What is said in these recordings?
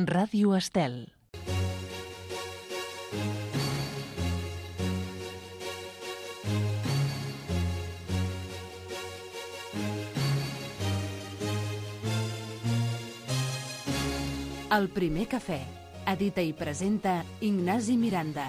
Ràdio Estel. El primer cafè. Edita i presenta Ignasi Miranda.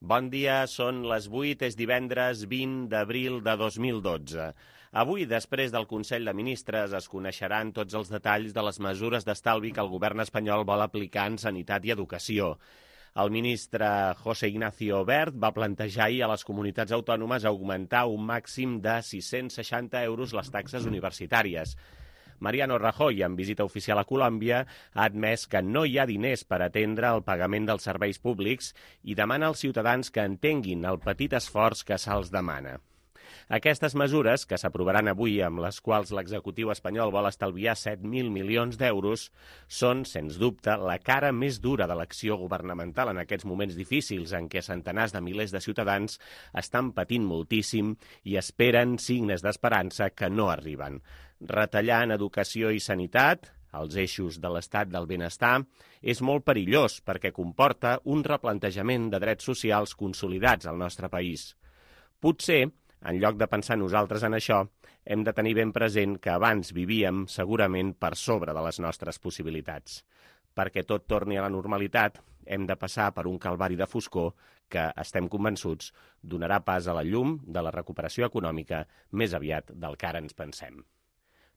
Bon dia, són les 8, és divendres 20 d'abril de 2012. Avui, després del Consell de Ministres, es coneixeran tots els detalls de les mesures d'estalvi que el govern espanyol vol aplicar en sanitat i educació. El ministre José Ignacio Wert va plantejar ahir a les comunitats autònomes augmentar un màxim de 660 euros les taxes universitàries. Mariano Rajoy, en visita oficial a Colòmbia, ha admès que no hi ha diners per atendre el pagament dels serveis públics i demana als ciutadans que entenguin el petit esforç que se'ls demana. Aquestes mesures, que s'aprovaran avui, amb les quals l'executiu espanyol vol estalviar 7.000 milions d'euros, són, sens dubte, la cara més dura de l'acció governamental en aquests moments difícils en què centenars de milers de ciutadans estan patint moltíssim i esperen signes d'esperança que no arriben. Retallar en educació i sanitat, els eixos de l'estat del benestar, és molt perillós perquè comporta un replantejament de drets socials consolidats al nostre país. Potser, en lloc de pensar nosaltres en això, hem de tenir ben present que abans vivíem segurament per sobre de les nostres possibilitats. Perquè tot torni a la normalitat, hem de passar per un calvari de foscor que, estem convençuts, donarà pas a la llum de la recuperació econòmica més aviat del que ara ens pensem.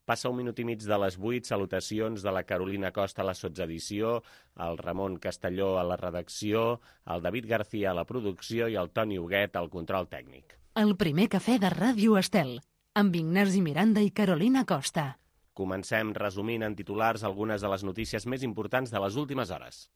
Passa un minut i mig de les 8, salutacions de la Carolina Costa a la sotsedició, el Ramon Castelló a la redacció, el David García a la producció i el Toni Huguet al control tècnic. El primer cafè de Ràdio Estel, amb Ignasi Miranda i Carolina Costa. Comencem resumint en titulars algunes de les notícies més importants de les últimes hores.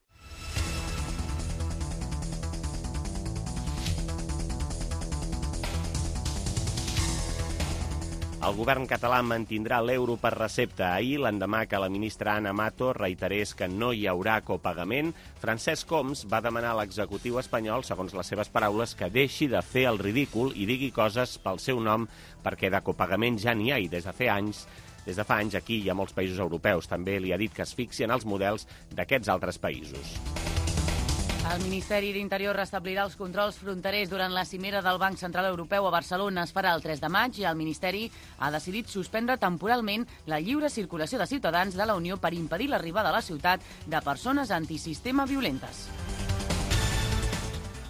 El govern català mantindrà l'euro per recepta. Ahir, l'endemà que la ministra Ana Mato reiterés que no hi haurà copagament, Francesc Homs va demanar a l'executiu espanyol, segons les seves paraules, que deixi de fer el ridícul i digui coses pel seu nom, perquè de copagament ja n'hi ha i des de fa anys aquí hi ha molts països europeus. També li ha dit que es fixi en els models d'aquests altres països. El Ministeri d'Interior restablirà els controls fronterers durant la cimera del Banc Central Europeu a Barcelona. Es farà el 3 de maig i el Ministeri ha decidit suspendre temporalment la lliure circulació de ciutadans de la Unió per impedir l'arribada a la ciutat de persones antisistema violentes.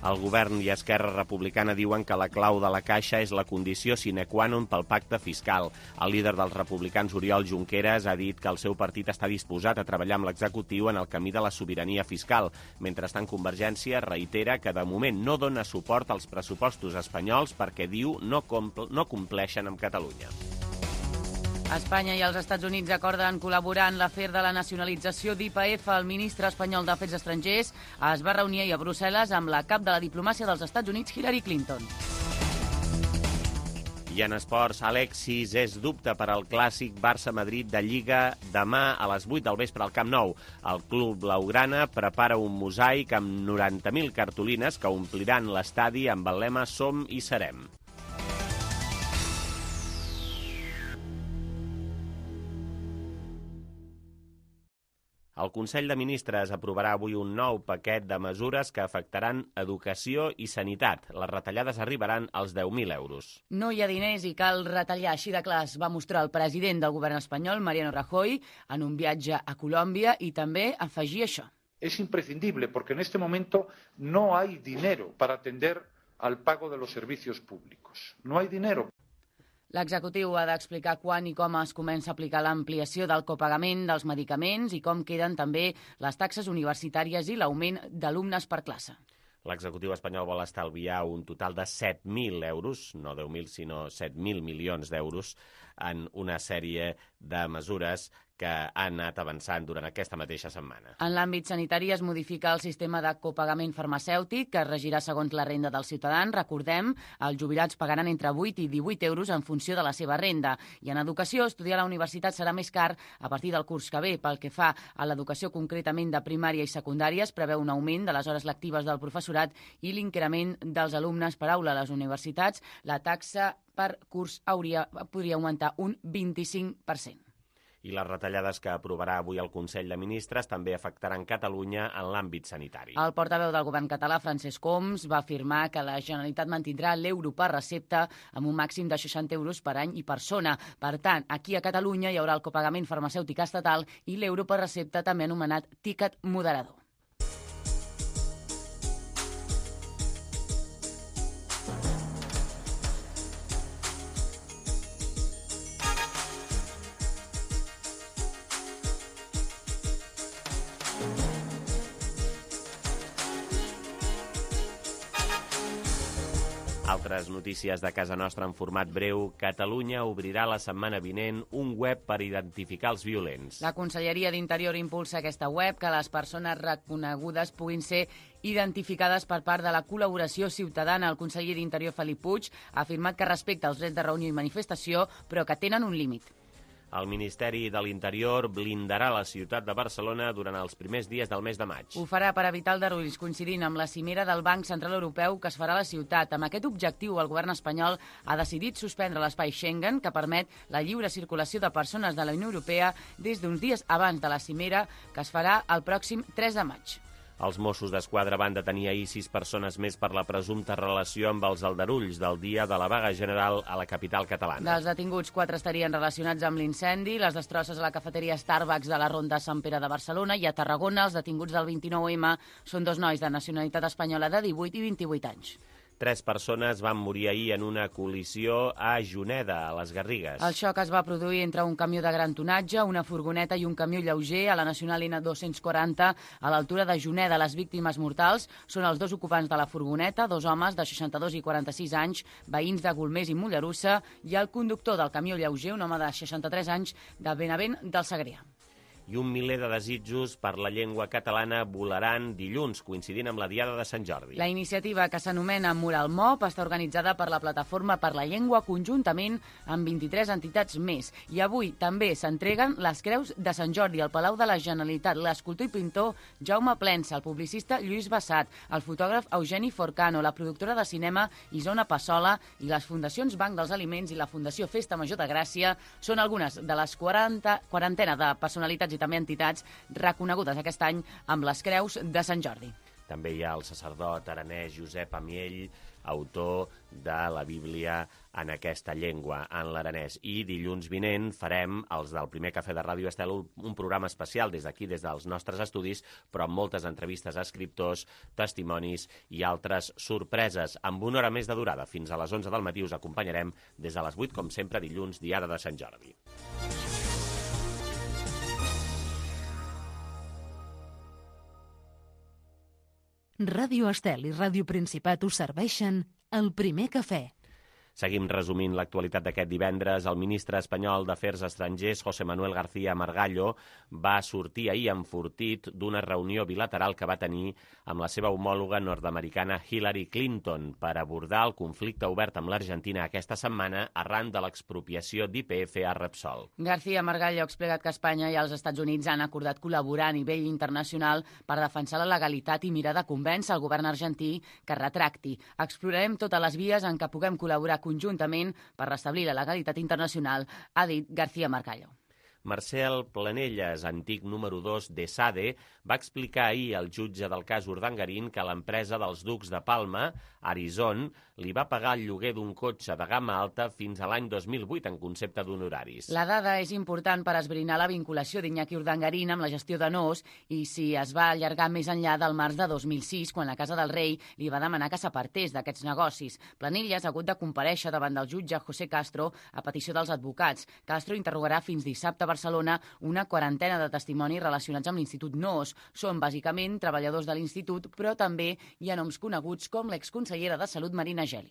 El govern i Esquerra Republicana diuen que la clau de la Caixa és la condició sine qua non pel pacte fiscal. El líder dels republicans, Oriol Junqueras, ha dit que el seu partit està disposat a treballar amb l'executiu en el camí de la sobirania fiscal. Mentrestant, Convergència reitera que de moment no dona suport als pressupostos espanyols perquè, diu, no compleixen amb Catalunya. Espanya i els Estats Units acorden col·laborar en l'afer de la nacionalització d'YPF. El ministre espanyol d'Afers Estrangers es va reunir ahir a Brussel·les amb la cap de la diplomàcia dels Estats Units, Hillary Clinton. I en esports, Alexis és dubte per al clàssic Barça-Madrid de Lliga demà a les 8 del vespre al Camp Nou. El club blaugrana prepara un mosaic amb 90.000 cartolines que ompliran l'estadi amb el lema Som i serem. El Consell de Ministres aprovarà avui un nou paquet de mesures que afectaran educació i sanitat. Les retallades arribaran als 10.000 euros. No hi ha diners i cal retallar, així de clar es va mostrar el president del govern espanyol, Mariano Rajoy, en un viatge a Colòmbia i també afegir això. Es imprescindible porque en este momento no hay dinero para atender al pago de los servicios públicos. No hay dinero. L'executiu ha d'explicar quan i com es comença a aplicar l'ampliació del copagament dels medicaments i com queden també les taxes universitàries i l'augment d'alumnes per classe. L'executiu espanyol vol estalviar un total de 7.000 euros, no 10.000, sinó 7.000 milions d'euros, en una sèrie de mesures que han anat avançant durant aquesta mateixa setmana. En l'àmbit sanitari es modifica el sistema de copagament farmacèutic, que es regirà segons la renda dels ciutadans. Recordem, els jubilats pagaran entre 8 i 18 euros en funció de la seva renda. I en educació, estudiar a la universitat serà més car a partir del curs que ve. Pel que fa a l'educació concretament de primària i secundària, es preveu un augment de les hores lectives del professorat i l'increment dels alumnes per aula a les universitats. La taxa per curs podria augmentar un 25%. I les retallades que aprovarà avui el Consell de Ministres també afectaran Catalunya en l'àmbit sanitari. El portaveu del govern català, Francesc Homs, va afirmar que la Generalitat mantindrà l'euro per recepta amb un màxim de 60 euros per any i persona. Per tant, aquí a Catalunya hi haurà el copagament farmacèutic estatal i l'euro per recepta, també anomenat tiquet moderador. Altres notícies de casa nostra en format breu. Catalunya obrirà la setmana vinent un web per identificar els violents. La Conselleria d'Interior impulsa aquesta web que les persones reconegudes puguin ser identificades per part de la col·laboració ciutadana. El conseller d'Interior, Felip Puig, ha afirmat que respecta els drets de reunió i manifestació, però que tenen un límit. El Ministeri de l'Interior blindarà la ciutat de Barcelona durant els primers dies del mes de maig. Ho farà per evitar aldarulls, coincidint amb la cimera del Banc Central Europeu que es farà a la ciutat. Amb aquest objectiu, el govern espanyol ha decidit suspendre l'espai Schengen, que permet la lliure circulació de persones de la Unió Europea des d'uns dies abans de la cimera, que es farà el pròxim 3 de maig. Els Mossos d'Esquadra van detenir ahir 6 persones més per la presumpta relació amb els aldarulls del dia de la vaga general a la capital catalana. Dels detinguts, 4 estarien relacionats amb l'incendi, les destrosses a la cafeteria Starbucks de la Ronda Sant Pere de Barcelona, i a Tarragona els detinguts del 29M són 2 nois de nacionalitat espanyola de 18 i 28 anys. 3 persones van morir ahir en una col·lisió a Juneda, a les Garrigues. El xoc es va produir entre un camió de gran tonatge, una furgoneta i un camió lleuger a la Nacional N240 a l'altura de Juneda. Les víctimes mortals són els 2 ocupants de la furgoneta, 2 homes de 62 i 46 anys, veïns de Golmés i Mollerussa, i el conductor del camió lleuger, un home de 63 anys, de Benavent del Segrià. I un miler de desitjos per la llengua catalana volaran dilluns, coincidint amb la Diada de Sant Jordi. La iniciativa, que s'anomena Mural Mop, està organitzada per la Plataforma per la Llengua conjuntament amb 23 entitats més. I avui també s'entreguen les creus de Sant Jordi al Palau de la Generalitat. L'escultor i pintor Jaume Plensa, el publicista Lluís Bassat, el fotògraf Eugeni Forcano, la productora de cinema Isona Passola i les fundacions Banc dels Aliments i la Fundació Festa Major de Gràcia són algunes de les quarantena de personalitats i també entitats reconegudes aquest any amb les creus de Sant Jordi. També hi ha el sacerdot aranès Josep Amiell, autor de la Bíblia en aquesta llengua, en l'aranès. I dilluns vinent farem, els del primer Cafè de Ràdio Estel, un programa especial des d'aquí, des dels nostres estudis, però amb moltes entrevistes a escriptors, testimonis i altres sorpreses, amb una hora més de durada. Fins a les 11 del matí us acompanyarem des de les 8, com sempre, dilluns, Diada de Sant Jordi. Ràdio Estel i Ràdio Principat us serveixen el primer cafè. Seguim resumint l'actualitat d'aquest divendres. El ministre espanyol d'Afers Estrangers, José Manuel García Margallo, va sortir ahir enfortit d'una reunió bilateral que va tenir amb la seva homòloga nord-americana Hillary Clinton per abordar el conflicte obert amb l'Argentina aquesta setmana arran de l'expropiació d'YPF a Repsol. García Margallo ha explicat que Espanya i els Estats Units han acordat col·laborar a nivell internacional per defensar la legalitat i mirar de convèncer el govern argentí que retracti. Explorarem totes les vies en què puguem col·laborar conjuntament per restablir la legalitat internacional, ha dit García Margallo. Marcel Planelles, antic número 2 d'ESADE, va explicar ahir al jutge del cas Urdangarín que l'empresa dels ducs de Palma, Arizon, li va pagar el lloguer d'un cotxe de gamma alta fins a l'any 2008 en concepte d'honoraris. La dada és important per esbrinar la vinculació d'Iñaki Urdangarín amb la gestió de Nos i si es va allargar més enllà del març de 2006, quan la Casa del Rei li va demanar que s'apartés d'aquests negocis. Planelles ha hagut de comparèixer davant del jutge José Castro a petició dels advocats. Castro interrogarà fins dissabte a Barcelona una quarantena de testimonis relacionats amb l'Institut Nos. Són bàsicament treballadors de l'Institut, però també hi ha noms coneguts com l'exconsellera de Salut Marina Geli.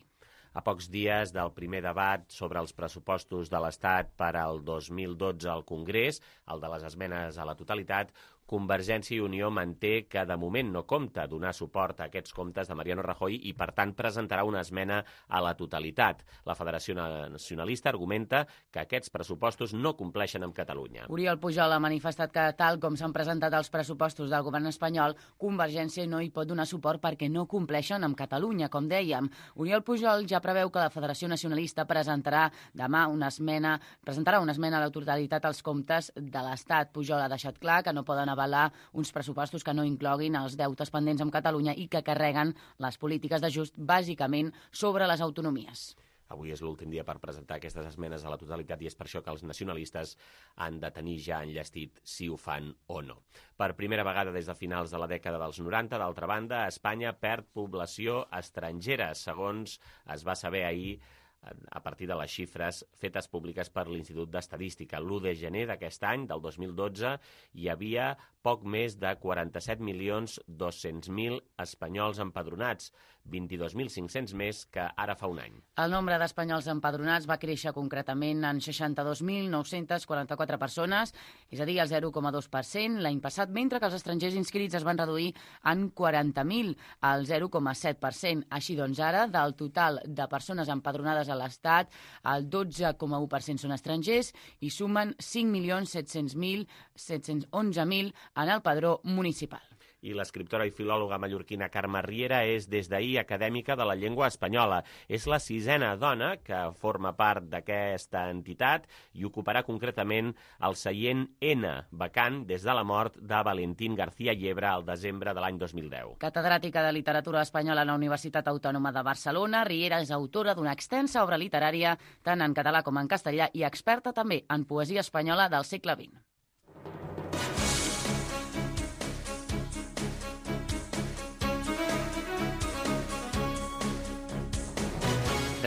A pocs dies del primer debat sobre els pressupostos de l'Estat per al 2012 al Congrés, el de les esmenes a la totalitat, Convergència i Unió manté que de moment no compta donar suport a aquests comptes de Mariano Rajoy i, per tant, presentarà una esmena a la totalitat. La Federació Nacionalista argumenta que aquests pressupostos no compleixen amb Catalunya. Oriol Pujol ha manifestat que, tal com s'han presentat els pressupostos del govern espanyol, Convergència no hi pot donar suport perquè no compleixen amb Catalunya, com dèiem. Oriol Pujol ja preveu que la Federació Nacionalista presentarà demà una esmena a la totalitat als comptes de l'Estat. Pujol ha deixat clar que no poden avalar uns pressupostos que no incloguin els deutes pendents amb Catalunya i que carreguen les polítiques d'ajust bàsicament sobre les autonomies. Avui és l'últim dia per presentar aquestes esmenes a la totalitat i és per això que els nacionalistes han de tenir ja enllestit si ho fan o no. Per primera vegada des de finals de la dècada dels 90, d'altra banda, Espanya perd població estrangera, segons es va saber ahir a partir de les xifres fetes públiques per l'Institut d'Estadística. L'1 de gener d'aquest any, del 2012, hi havia poc més de 47.200.000 espanyols empadronats, 22.500 més que ara fa un any. El nombre d'espanyols empadronats va créixer concretament en 62.944 persones, és a dir, el 0,2% l'any passat, mentre que els estrangers inscrits es van reduir en 40.000, al 0,7%. Així doncs, ara, del total de persones empadronades a l'Estat, el 12,1% són estrangers i sumen 5.711.000 en el padró municipal. I l'escriptora i filòloga mallorquina Carme Riera és des d'ahir acadèmica de la llengua espanyola. És la 6ª dona que forma part d'aquesta entitat i ocuparà concretament el seient N, vacant des de la mort de Valentín García Yebra al desembre de l'any 2010. Catedràtica de literatura espanyola a la Universitat Autònoma de Barcelona, Riera és autora d'una extensa obra literària tant en català com en castellà i experta també en poesia espanyola del segle XX.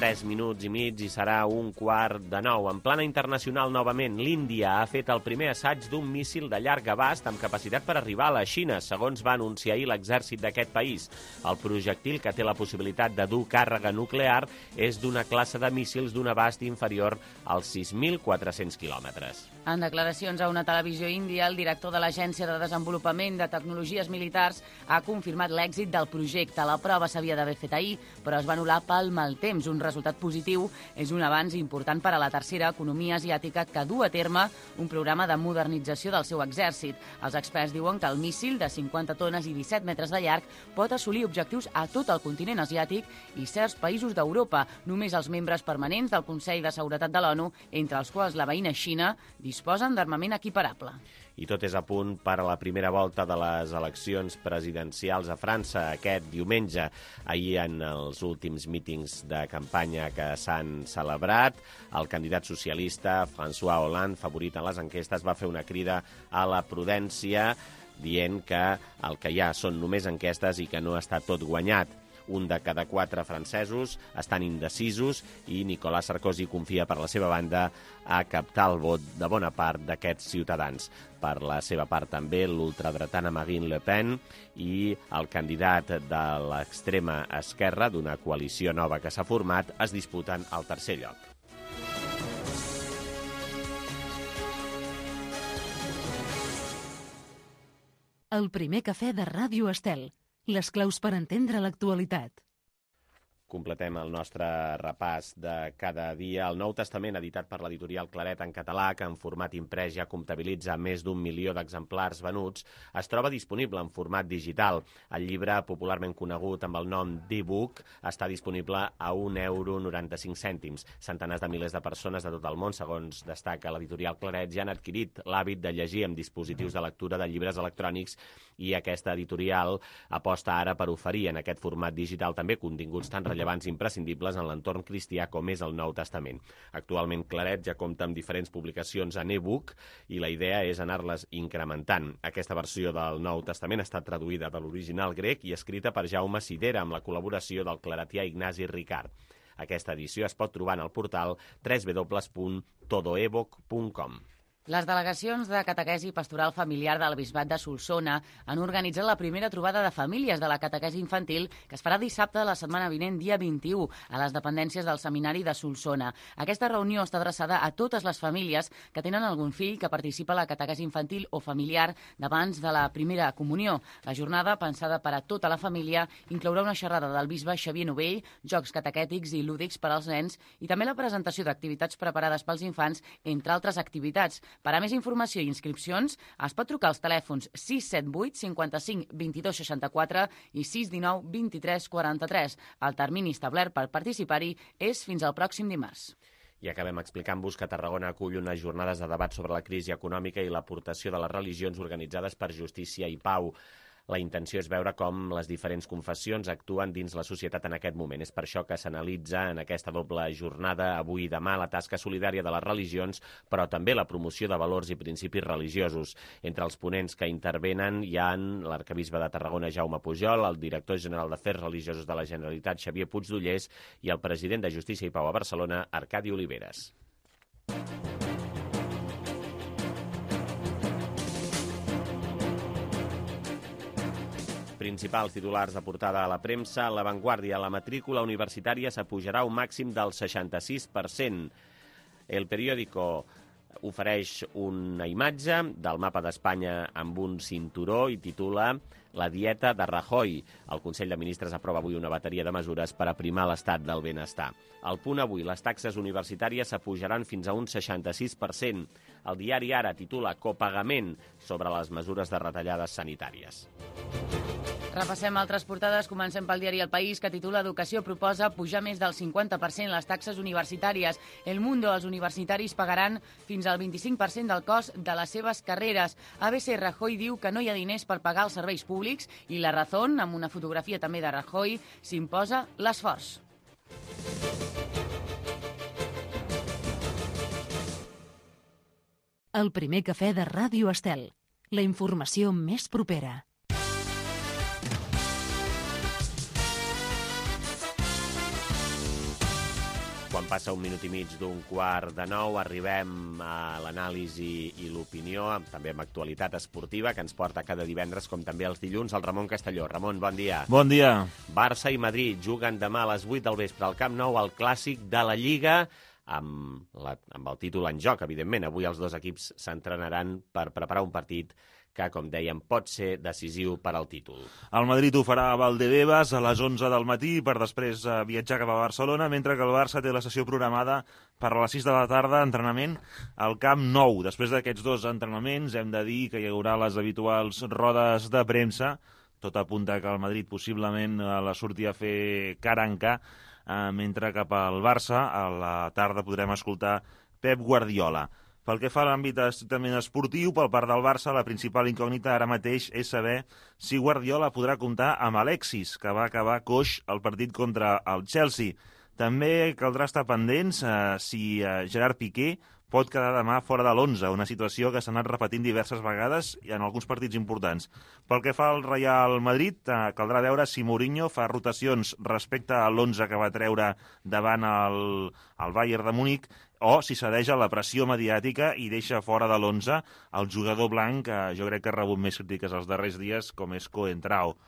Tres minuts i mig i serà 8:45. En plana internacional, novament, l'Índia ha fet el primer assaig d'un míssil de llarg abast amb capacitat per arribar a la Xina, segons va anunciar ahir l'exèrcit d'aquest país. El projectil, que té la possibilitat de dur càrrega nuclear, és d'una classe de míssils d'un abast inferior als 6.400 quilòmetres. En declaracions a una televisió índia, el director de l'Agència de Desenvolupament de Tecnologies Militars ha confirmat l'èxit del projecte. La prova s'havia d'haver fet ahir, però es va anul·lar pel mal temps. Un resultat positiu és un avanç important per a la tercera economia asiàtica que du a terme un programa de modernització del seu exèrcit. Els experts diuen que el míssil de 50 tones i 17 metres de llarg pot assolir objectius a tot el continent asiàtic i certs països d'Europa. Només els membres permanents del Consell de Seguretat de l'ONU, entre els quals la veïna Xina, disposen d'armament equiparable. I tot és a punt per a la primera volta de les eleccions presidencials a França aquest diumenge. Ahir, en els últims mítings de campanya que s'han celebrat, el candidat socialista François Hollande, favorit en les enquestes, va fer una crida a la prudència dient que el que hi ha són només enquestes i que no està tot guanyat. Un de cada 4 francesos estan indecisos i Nicolas Sarkozy confia per la seva banda a captar el vot de bona part d'aquests ciutadans. Per la seva part també l'ultradretana Marine Le Pen i el candidat de l'extrema esquerra d'una coalició nova que s'ha format es disputen al tercer lloc. El primer cafè de Ràdio Estel. Les claus per entendre l'actualitat. Completem el nostre repàs de cada dia. El Nou Testament, editat per l'editorial Claret en català, que en format imprès ja comptabilitza més d'1 milió d'exemplars venuts, es troba disponible en format digital. El llibre, popularment conegut amb el nom d'e-book, està disponible a €1,95. Centenars de milers de persones de tot el món, segons destaca l'editorial Claret, ja han adquirit l'hàbit de llegir amb dispositius de lectura de llibres electrònics i aquesta editorial aposta ara per oferir en aquest format digital també continguts tan rellevants i imprescindibles en l'entorn cristià com és el Nou Testament. Actualment Claret ja compta amb diferents publicacions en e-book i la idea és anar-les incrementant. Aquesta versió del Nou Testament ha estat traduïda de l'original grec i escrita per Jaume Sidera amb la col·laboració del claretià Ignasi Ricard. Aquesta edició es pot trobar en el portal www.todoebook.com. Les delegacions de catequesi pastoral familiar del Bisbat de Solsona han organitzat la primera trobada de famílies de la catequesi infantil que es farà dissabte de la setmana vinent, dia 21, a les dependències del Seminari de Solsona. Aquesta reunió està adreçada a totes les famílies que tenen algun fill que participa a la catequesi infantil o familiar d'abans de la primera comunió. La jornada, pensada per a tota la família, inclourà una xerrada del bisbe Xavier Novell, jocs catequètics i lúdics per als nens i també la presentació d'activitats preparades pels infants, entre altres activitats. Per a més informació i inscripcions, es pot trucar als telèfons 678 55 22 64 i 619 23 43. El termini establert per participar-hi és fins al pròxim dimarts. I acabem explicant-vos que Tarragona acull unes jornades de debat sobre la crisi econòmica i l'aportació de les religions organitzades per Justícia i Pau. La intenció és veure com les diferents confessions actuen dins la societat en aquest moment. És per això que s'analitza en aquesta doble jornada, avui i demà, la tasca solidària de les religions, però també la promoció de valors i principis religiosos. Entre els ponents que intervenen hi ha l'arcabisbe de Tarragona, Jaume Pujol, el director general d'Afers Religiosos de la Generalitat, Xavier Puigdollers, i el president de Justícia i Pau a Barcelona, Arcadi Oliveres. Principals titulars de portada a la premsa: La Vanguardia, la matrícula universitària s'apujarà un màxim del 66%. El periòdico ofereix una imatge del mapa d'Espanya amb un cinturó i titula La dieta de Rajoy. El Consell de Ministres aprova avui una bateria de mesures per aprimar l'estat del benestar. Al Punt avui, les taxes universitàries s'apujaran fins a un 66%. El diari Ara titula Copagament sobre les mesures de retallades sanitàries. Repassem altres portades. Comencem pel diari El País, que titula Educació proposa pujar més del 50% les taxes universitàries. El Mundo, els universitaris pagaran fins al 25% del cost de les seves carreres. ABC, Rajoy diu que no hi ha diners per pagar els serveis públics i La Razón, amb una fotografia també de Rajoy, s'imposa l'esforç. El primer cafè de Ràdio Estel. La informació més propera. Quan passa un minut i mig d'un quart de 9, arribem a l'anàlisi i l'opinió, també amb actualitat esportiva, que ens porta cada divendres, com també els dilluns, el Ramon Castelló. Ramon, bon dia. Bon dia. Barça i Madrid juguen demà a les 8 del vespre al Camp Nou, el clàssic de la Lliga, amb el títol en joc, evidentment. Avui els dos equips s'entrenaran per preparar un partit que, com dèiem, pot ser decisiu per al títol. El Madrid ho farà a Valdebebas a les 11 del matí per després viatjar cap a Barcelona, mentre que el Barça té la sessió programada per a les 6 de la tarda, entrenament al Camp Nou. Després d'aquests dos entrenaments hem de dir que hi haurà les habituals rodes de premsa. Tot apunta que el Madrid possiblement la surti a fer cara en ca, mentre cap al Barça a la tarda podrem escoltar Pep Guardiola. Pel que fa a l'àmbit estrictament esportiu, pel part del Barça, la principal incògnita ara mateix és saber si Guardiola podrà comptar amb Alexis, que va acabar coix al partit contra el Chelsea. També caldrà estar pendents si Gerard Piqué pot quedar demà fora de l'11, una situació que s'ha anat repetint diverses vegades i en alguns partits importants. Pel que fa al Real Madrid, caldrà veure si Mourinho fa rotacions respecte a l'11 que va treure davant el Bayern de Múnich, o si cedeix a la pressió mediàtica i deixa fora de l'11 el jugador blanc, que jo crec que ha rebut més crítiques els darrers dies, com és Coentrao.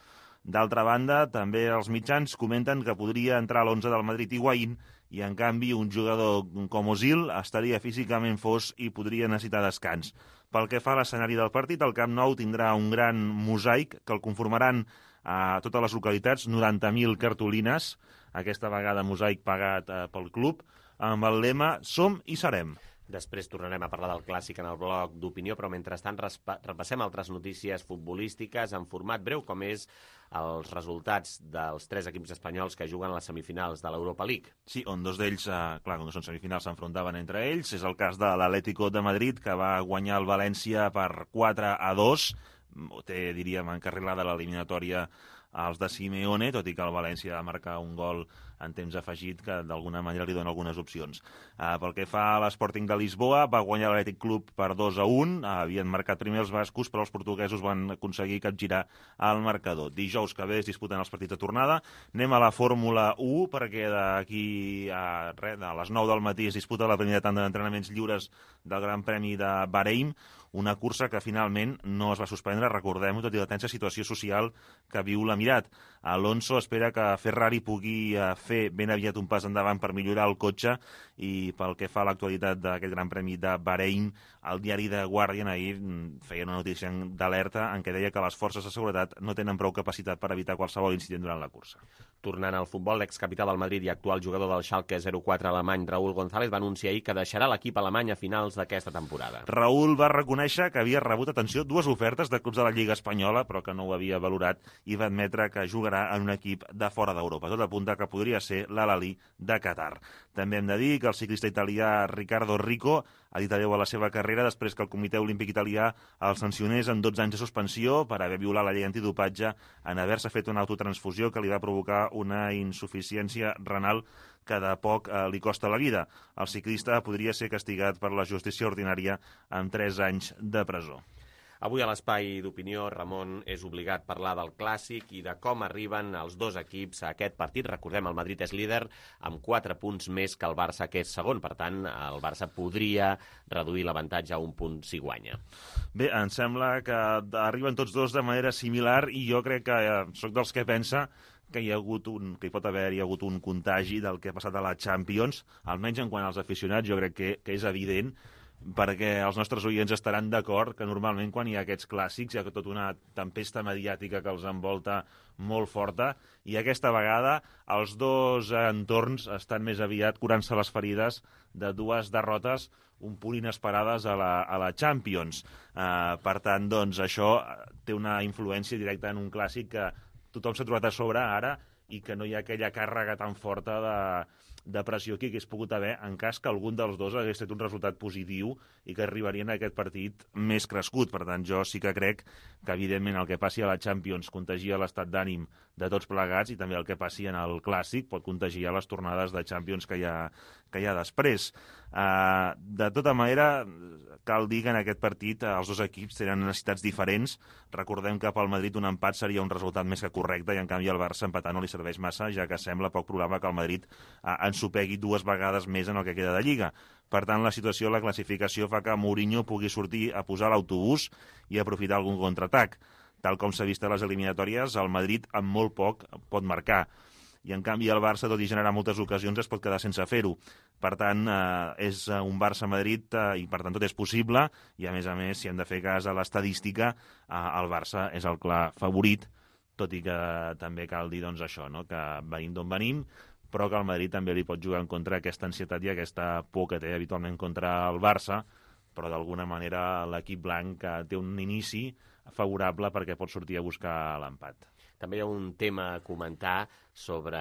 D'altra banda, també els mitjans comenten que podria entrar a l'11 del Madrid Higuaín i, en canvi, un jugador com Ozil estaria físicament fos i podria necessitar descans. Pel que fa a l'escenari del partit, el Camp Nou tindrà un gran mosaic que el conformaran a totes les localitats, 90.000 cartolines, aquesta vegada mosaic pagat pel club, amb el lema Som i serem. Després tornarem a parlar del clàssic en el bloc d'opinió, però mentrestant repassem altres notícies futbolístiques en format breu, com és els resultats dels 3 equips espanyols que juguen a les semifinals de l'Europa League. Sí, on dos d'ells, clar, com que són semifinals, s'enfrontaven entre ells. És el cas de l'Atlético de Madrid, que va guanyar el València per 4-2. Té, diríem, encarrilada l'eliminatòria als de Simeone, tot i que el València va marcar un gol en temps afegit, que d'alguna manera li dona algunes opcions. Pel que fa a l'Sporting de Lisboa, va guanyar l'Atlètic Club per 2-1, havien marcat primer els bascos, però els portuguesos van aconseguir capgirar el marcador. Dijous que ve es disputen els partits de tornada. Anem a la Fórmula 1, perquè d'aquí a les 9 del matí es disputa la primera tanda d'entrenaments lliures del Gran Premi de Bahrein, una cursa que finalment no es va suspendre, recordem-ho, tot i la tensa situació social que viu l'Emirat. Alonso espera que Ferrari pugui fer ben aviat un pas endavant per millorar el cotxe, i pel que fa a l'actualitat d'aquest Gran Premi de Bahrein, el diari The Guardian ahir feia una notícia d'alerta en què deia que les forces de seguretat no tenen prou capacitat per evitar qualsevol incident durant la cursa. Tornant al futbol, l'excapital del Madrid i actual jugador del Schalke 04 alemany, Raúl González, va anunciar ahir que deixarà l'equip alemany a finals d'aquesta temporada. Raúl va reconèixer que havia rebut, atenció, 2 ofertes de clubs de la Lliga Espanyola, però que no ho havia valorat, i va admetre que jugarà en un equip de fora d'Europa. Tot apunta que podria ser l'Al-Ahly de Qatar. També hem de dir que el ciclista italià Riccardo Rico ha dit adeu a la seva carrera després que el Comitè Olímpic Italià el sancionés amb 12 anys de suspensió per haver violat la llei antidopatge en haver-se fet una autotransfusió que li va provocar una insuficiència renal que de poc li costa la vida. El ciclista podria ser castigat per la justícia ordinària amb 3 anys de presó. Avui a l'Espai d'Opinió, Ramon, és obligat parlar del Clàssic i de com arriben els dos equips a aquest partit. Recordem, el Madrid és líder amb 4 punts més que el Barça, que és segon. Per tant, el Barça podria reduir l'avantatge a un punt si guanya. Bé, em sembla que arriben tots dos de manera similar, i jo crec que sóc dels que pensa que hi pot haver-hi hagut un contagi del que ha passat a la Champions, almenys en quant als aficionats. Jo crec que és evident, perquè els nostres oients estaran d'acord que normalment quan hi ha aquests clàssics hi ha tota una tempesta mediàtica que els envolta molt forta, i aquesta vegada els dos entorns estan més aviat curant-se les ferides de 2 derrotes un punt inesperades a la Champions. Per tant, doncs, això té una influència directa en un clàssic que tothom s'ha trobat a sobre ara, i que no hi ha aquella càrrega tan forta de pressió que hagués pogut haver en cas que algun dels dos hagués fet un resultat positiu i que arribarien a aquest partit més crescut. Per tant, jo sí que crec que, evidentment, el que passi a la Champions contagia l'estat d'ànim de tots plegats, i també el que passi en el Clàssic pot contagiar les tornades de Champions que hi ha després. De tota manera, cal dir que en aquest partit els dos equips tenen necessitats diferents. Recordem que pel Madrid un empat seria un resultat més que correcte, i en canvi al Barça empatar no li serveix massa, ja que sembla poc probable que el Madrid ensopegui 2 vegades més en el que queda de Lliga. Per tant, la situació, la classificació, fa que Mourinho pugui sortir a posar l'autobús i aprofitar algun contraatac. Tal com s'ha vist a les eliminatòries, el Madrid amb molt poc pot marcar, i en canvi el Barça, tot i generar moltes ocasions, es pot quedar sense fer-ho. Per tant, és un Barça-Madrid i per tant tot és possible, i a més, si hem de fer cas a l'estadística, el Barça és el clar favorit, tot i que també cal dir, doncs, això, no? Que venim d'on venim, però que el Madrid també li pot jugar en contra aquesta ansietat i aquesta por que té habitualment contra el Barça, però d'alguna manera l'equip blanc té un inici favorable perquè pot sortir a buscar l'empat. També hi ha un tema a comentar sobre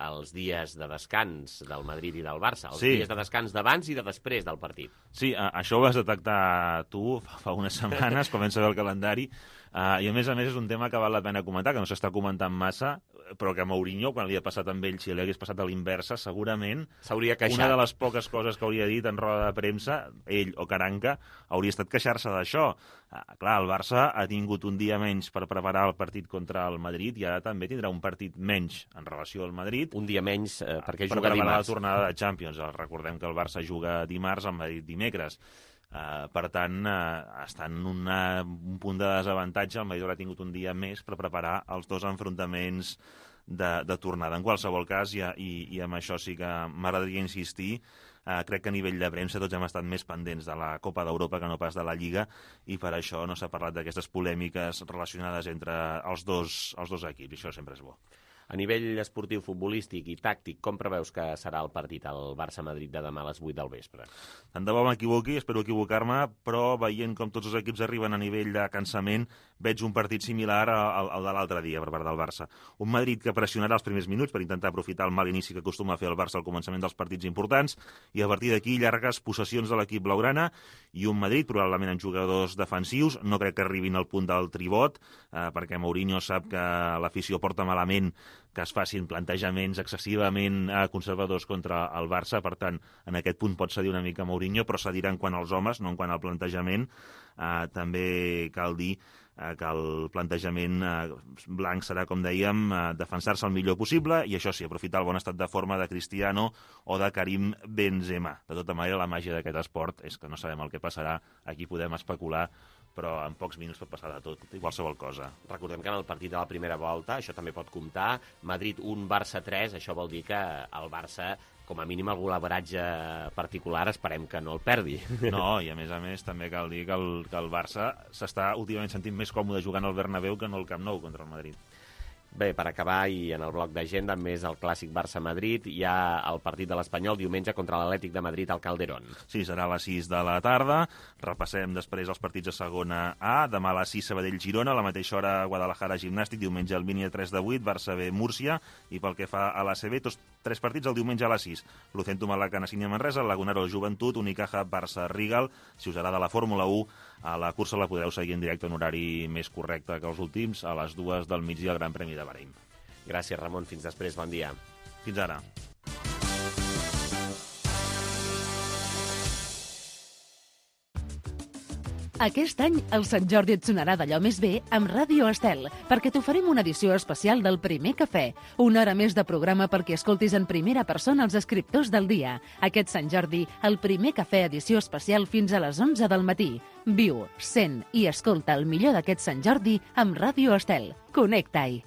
els dies de descans del Madrid i del Barça, els dies de descans d'abans i de després del partit. Sí, això ho vas detectar tu fa unes setmanes, comença a veure el calendari, i a més és un tema que val la pena comentar, que no s'està comentant massa, però que Mourinho, quan li ha passat amb ell, si li hagués passat a l'inversa, segurament s'hauria queixat. Una de les poques coses que hauria dit en roda de premsa, ell o Caranca, hauria estat queixar-se d'això. Clar, el Barça ha tingut un dia menys per preparar el partit contra el Madrid, i ara també tindrà un partit menys en relació al Madrid. Un dia menys perquè juga dimarts. Per preparar la tornada de Champions. Recordem que el Barça juga dimarts, el Madrid dimecres. Per tant, està en un punt de desavantatge. El Madrid haurà tingut un dia més per preparar els dos enfrontaments de tornada. En qualsevol cas, i amb això sí que m'agradaria insistir, crec que a nivell de premsa tots hem estat més pendents de la Copa d'Europa que no pas de la Lliga, i per això no s'ha parlat d'aquestes polèmiques relacionades entre els dos equips, i això sempre és bo. A nivell esportiu, futbolístic i tàctic, com preveus que serà el partit al Barça-Madrid de demà a les 8 del vespre? Tant de bo m'equivoqui, espero equivocar-me, però veient com tots els equips arriben a nivell de cansament, veig un partit similar al de l'altre dia per part del Barça. Un Madrid que pressionarà els primers minuts per intentar aprofitar el mal inici que acostuma a fer el Barça al començament dels partits importants, i a partir d'aquí llargues possessions de l'equip blaugrana, i un Madrid probablement amb jugadors defensius. No crec que arribin al punt del tribot, perquè Mourinho sap que l'afició porta malament que es facin plantejaments excessivament conservadors contra el Barça. Per tant, en aquest punt pot cedir una mica Mourinho, però cedirà en quant als homes, no en quant al plantejament. També cal dir que el plantejament blanc serà, com dèiem, defensar-se el millor possible i, això sí, aprofitar el bon estat de forma de Cristiano o de Karim Benzema. De tota manera, la màgia d'aquest esport és que no sabem el que passarà, aquí podem especular, però en pocs minuts pot passar de tot, i qualsevol cosa. Recordem que en el partit de la primera volta, això també pot comptar, Madrid 1, Barça 3, això vol dir que el Barça, com a mínim el golaveratge particular, esperem que no el perdi. No, i a més també cal dir que el Barça s'està últimament sentint més còmode jugant al Bernabéu que no al Camp Nou contra el Madrid. Bé, per acabar, i en el bloc d'agenda, més el clàssic Barça-Madrid, hi ha el partit de l'Espanyol diumenge contra l'Atlètic de Madrid al Calderón. Sí, serà a les 6 de la tarda. Repassem després els partits de segona A. Demà a les 6 Sabadell-Girona, a la mateixa hora Guadalajara-Gimnàstic, diumenge al Mini a 3 de 8, Barça B-Múrcia, i pel que fa a l'ACB, tots 3 partits el diumenge a les 6. Lucentum Malaca-Nassini-Manresa, Lagunaro Joventut, Unicaja Barça-Rigal. Si us agrada la Fórmula 1, a la cursa la podreu seguir en directe en horari més correcte que els últims, a les 2 del migdia al Gran Premi de Bahrein. Gràcies, Ramon. Fins després. Bon dia. Fins ara. Aquest any el Sant Jordi et sonarà d'allò més bé amb Ràdio Estel, perquè t'oferim una edició especial del Primer Cafè. Una hora més de programa perquè escoltis en primera persona els escriptors del dia. Aquest Sant Jordi, el Primer Cafè edició especial fins a les 11 del matí. Viu, sent i escolta el millor d'aquest Sant Jordi amb Ràdio Estel. Connecta-hi.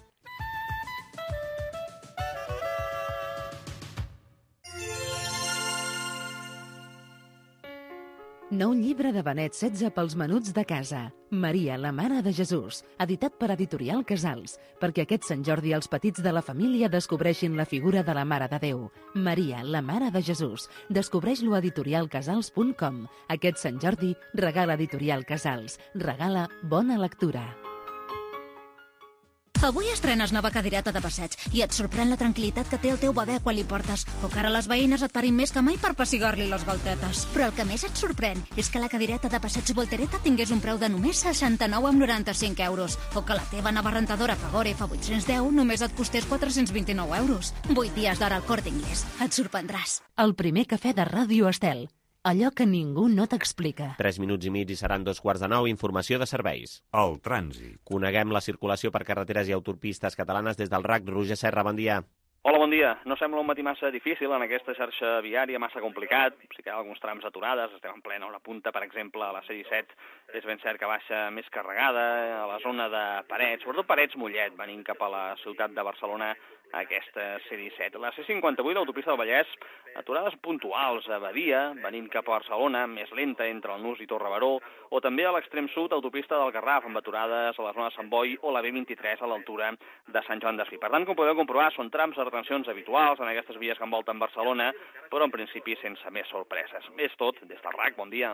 Nou llibre de Benet XVI pels menuts de casa. Maria, la mare de Jesús, editat per Editorial Casals, perquè aquest Sant Jordi els petits de la família descobreixin la figura de la Mare de Déu. Maria, la mare de Jesús. Descobreix-lo a editorialcasals.com. Aquest Sant Jordi regala Editorial Casals. Regala bona lectura. Avui estrenes nova cadireta de passeig i et sorprèn la tranquil·litat que té el teu bebè quan li portes, o que ara les veïnes et parin més que mai per pessigar-li les galtetes. Però el que més et sorprèn és que la cadireta de passeig Voltereta tingués un preu de només 69,95 €, o que la teva nova rentadora Fagor F810 només et costés 429 €. 8 dies d'hora al Corte Inglés. Et sorprendràs. El Primer Cafè de Ràdio Estel. Allò que ningú no t'explica. 3 minuts i mig i seran 2:45. Informació de serveis. El trànsit. Coneguem la circulació per carreteres i autopistes catalanes des del RAC. Roger Serra, bon dia. Hola, bon dia. No sembla un matí massa difícil en aquesta xarxa viària, massa complicat. Sí que hi ha alguns trams aturades, estem en plena hora punta, per exemple, a la C-17 és ben cert que baixa més carregada, a la zona de Parets, sobretot Parets-Mollet, venint cap a la ciutat de Barcelona, aquesta C-17. La C-58, l'autopista del Vallès, aturades puntuals a Badia, venint cap a Barcelona, més lenta entre el Nus i Torre-Baró, o també a l'extrem sud, autopista del Garraf, amb aturades a la zona de Sant Boi o la B23 a l'altura de Sant Joan d'Espí. Per tant, com podeu comprovar, són trams de retencions habituals en aquestes vies que envolten Barcelona, però en principi sense més sorpreses. És tot, des del RAC, bon dia.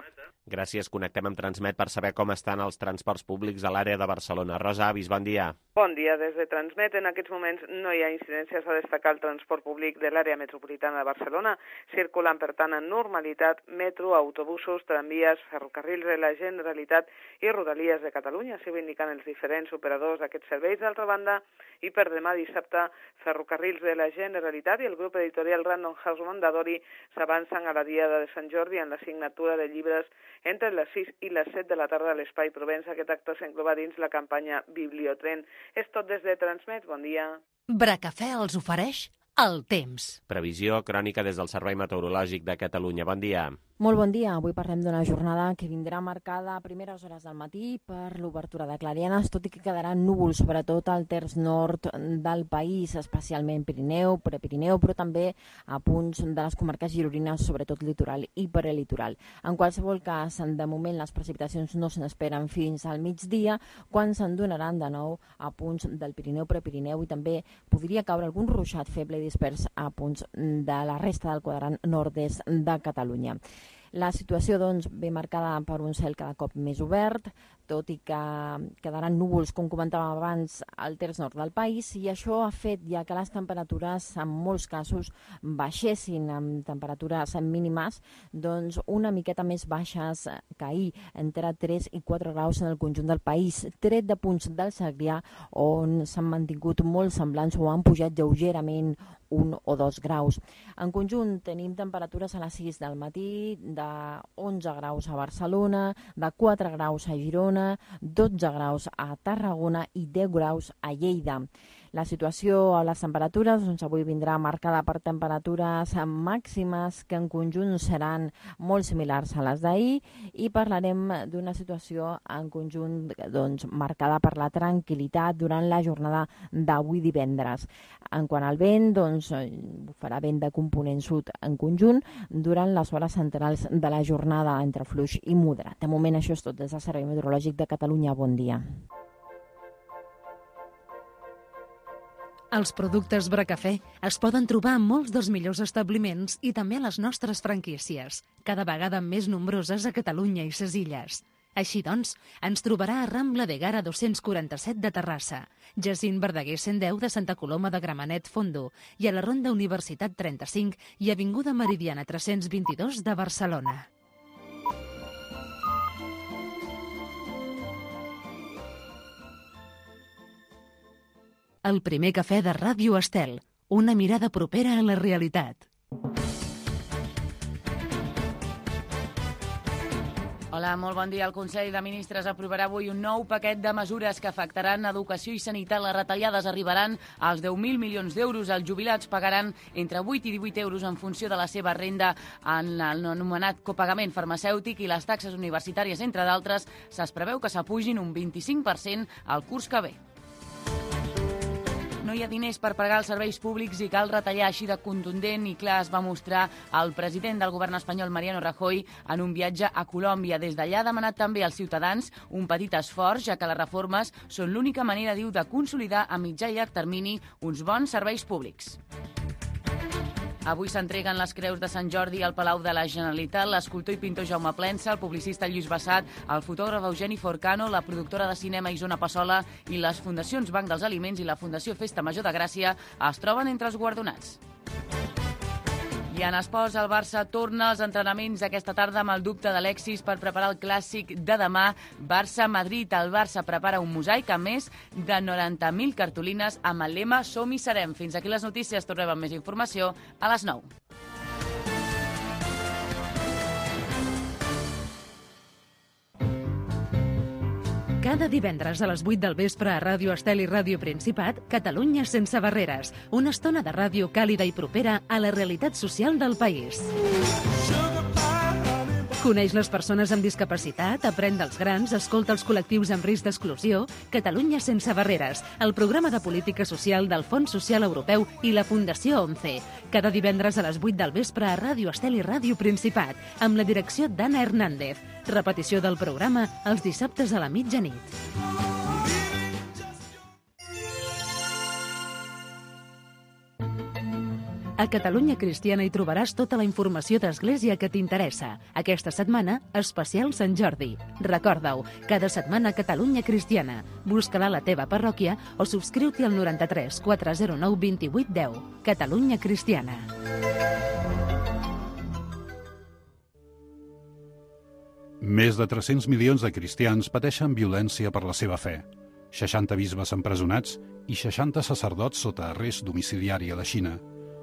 Gràcies, connectem amb Transmet per saber com estan els transports públics a l'àrea de Barcelona. Rosa Avis, bon dia. Bon dia, des de Transmet. En aquests moments no hi ha incidències a destacar el transport públic de l'àrea metropolitana de Barcelona. Circulen, per tant, en normalitat metro, autobusos, tramvies, ferrocarrils de la Generalitat i Rodalies de Catalunya, així ho indiquen els diferents operadors d'aquests serveis. D'altra banda, i per demà dissabte, ferrocarrils de la Generalitat i el grup editorial Random House Mondadori s'avancen a la Diada de Sant Jordi en la signatura de llibres entre les 6 i les 7 de la tarda a l'Espai Provença. Aquest acte s'engloba dins la campanya Bibliotren. És tot des de Transmet. Bon dia. Bracafè els ofereix el temps. Previsió crònica des del Servei Meteorològic de Catalunya. Bon dia. Molt bon dia. Avui parlem d'una jornada que vindrà marcada a primeres hores del matí per l'obertura de clarianes, tot i que quedaran núvols, sobretot al terç nord del país, especialment Pirineu, Prepirineu, però també a punts de les comarques gironines, sobretot litoral i prelitoral. En qualsevol cas, de moment les precipitacions no se n'esperen fins al migdia, quan se'n donaran de nou a punts del Pirineu, Prepirineu, i també podria caure algun ruixat feble i dispers a punts de la resta del quadrant nord-est de Catalunya. La situació doncs, ve marcada per un cel cada cop més obert, tot i que quedaran núvols, com comentàvem abans, al terç nord del país, i això ha fet ja que les temperatures en molts casos baixessin amb temperatures mínimes doncs una miqueta més baixes que ahir, entre 3 i 4 graus en el conjunt del país, tret de punts del Segrià on s'han mantingut molt semblants o han pujat lleugerament 1 o 2 graus. En conjunt tenim temperatures a les 6 del matí de 11 graus a Barcelona, de 4 graus a Girona, 12 graus a Tarragona i 10 graus a Lleida. La situació a les temperatures doncs, avui vindrà marcada per temperatures màximes que en conjunt seran molt similars a les d'ahir i parlarem d'una situació en conjunt doncs, marcada per la tranquil·litat durant la jornada d'avui divendres. En quant al vent, doncs, farà vent de component sud en conjunt durant les hores centrals de la jornada entre fluix i moderat. De moment això és tot des del Servei Meteorològic de Catalunya. Bon dia. Els productes Bracafé es poden trobar en molts dels millors establiments i també a les nostres franquícies, cada vegada més nombroses a Catalunya i ses Illes. Així doncs, ens trobarà a Rambla de Gara 247 de Terrassa, Jacint Verdaguer 110 de Santa Coloma de Gramenet Fondo i a la Ronda Universitat 35 i Avinguda Meridiana 322 de Barcelona. El primer cafè de Ràdio Estel, una mirada propera a la realitat. Hola, molt bon dia. El Consell de Ministres aprovarà avui un nou paquet de mesures que afectaran educació i sanitat. Les retallades arribaran als 10.000 milions d'euros. Els jubilats pagaran entre 8 i 18 euros en funció de la seva renda en l'anomenat copagament farmacèutic i les taxes universitàries, entre d'altres, es preveu que s'apugin un 25% al curs que ve. No hi ha diners per pagar els serveis públics i cal retallar, així de contundent i clar es va mostrar el president del govern espanyol, Mariano Rajoy, en un viatge a Colòmbia. Des d'allà ha demanat també als ciutadans un petit esforç, ja que les reformes són l'única manera, diu, de consolidar a mitjà i llarg termini uns bons serveis públics. Avui s'entreguen les creus de Sant Jordi al Palau de la Generalitat. L'escultor i pintor Jaume Plensa, el publicista Lluís Bassat, el fotògraf Eugeni Forcano, la productora de cinema Isona Passola i les fundacions Banc dels Aliments i la Fundació Festa Major de Gràcia es troben entre els guardonats. I en esports, el Barça torna als entrenaments aquesta tarda amb el dubte d'Alexis per preparar el clàssic de demà. Barça-Madrid. El Barça prepara un mosaic amb més de 90.000 cartolines amb el lema Som-hi serem. Fins aquí les notícies. Tornem amb més informació a les 9. Cada divendres a les 8 del vespre a Ràdio Estel i Ràdio Principat, Catalunya sense barreres. Una estona de ràdio càlida i propera a la realitat social del país. Coneix les persones amb discapacitat, aprèn dels grans, escolta els col·lectius amb risc d'exclusió. Catalunya sense barreres, el programa de política social del Fons Social Europeu i la Fundació ONCE. Cada divendres a les 8 del vespre a Ràdio Estel i Ràdio Principat, amb la direcció d'Anna Hernández. Repetició del programa els dissabtes a la mitjanit. A Catalunya Cristiana hi trobaràs tota la informació d'Església que t'interessa. Aquesta setmana, especial Sant Jordi. Recorda-ho, cada setmana Catalunya Cristiana. Busca-la a la teva parròquia o subscriu-t'hi al 93 409 28 10. Catalunya Cristiana. Més de 300 milions de cristians pateixen violència per la seva fe. 60 bisbes empresonats i 60 sacerdots sota arrest domiciliari a la Xina.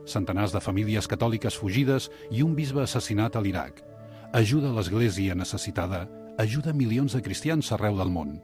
Centenars de famílies catòliques fugides i un bisbe assassinat a l'Iraq. Ajuda a l'Església necessitada, ajuda milions de cristians arreu del món.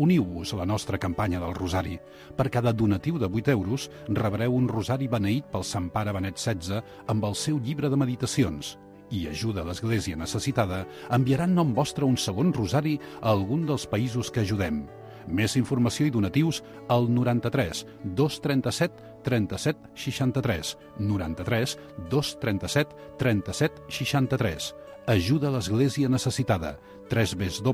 Uniu-vos a la nostra campanya del Rosari. Per cada donatiu de 8 euros rebreu un rosari beneït pel Sant Pare Benet XVI amb el seu llibre de meditacions. I ajuda a l'Església necessitada enviarà en nom vostre un segon rosari a algun dels països que ajudem. Més informació i donatius al 93 237 37 63. 93 237 37 63. Ajuda a l'Església necessitada. www.ain-es.org.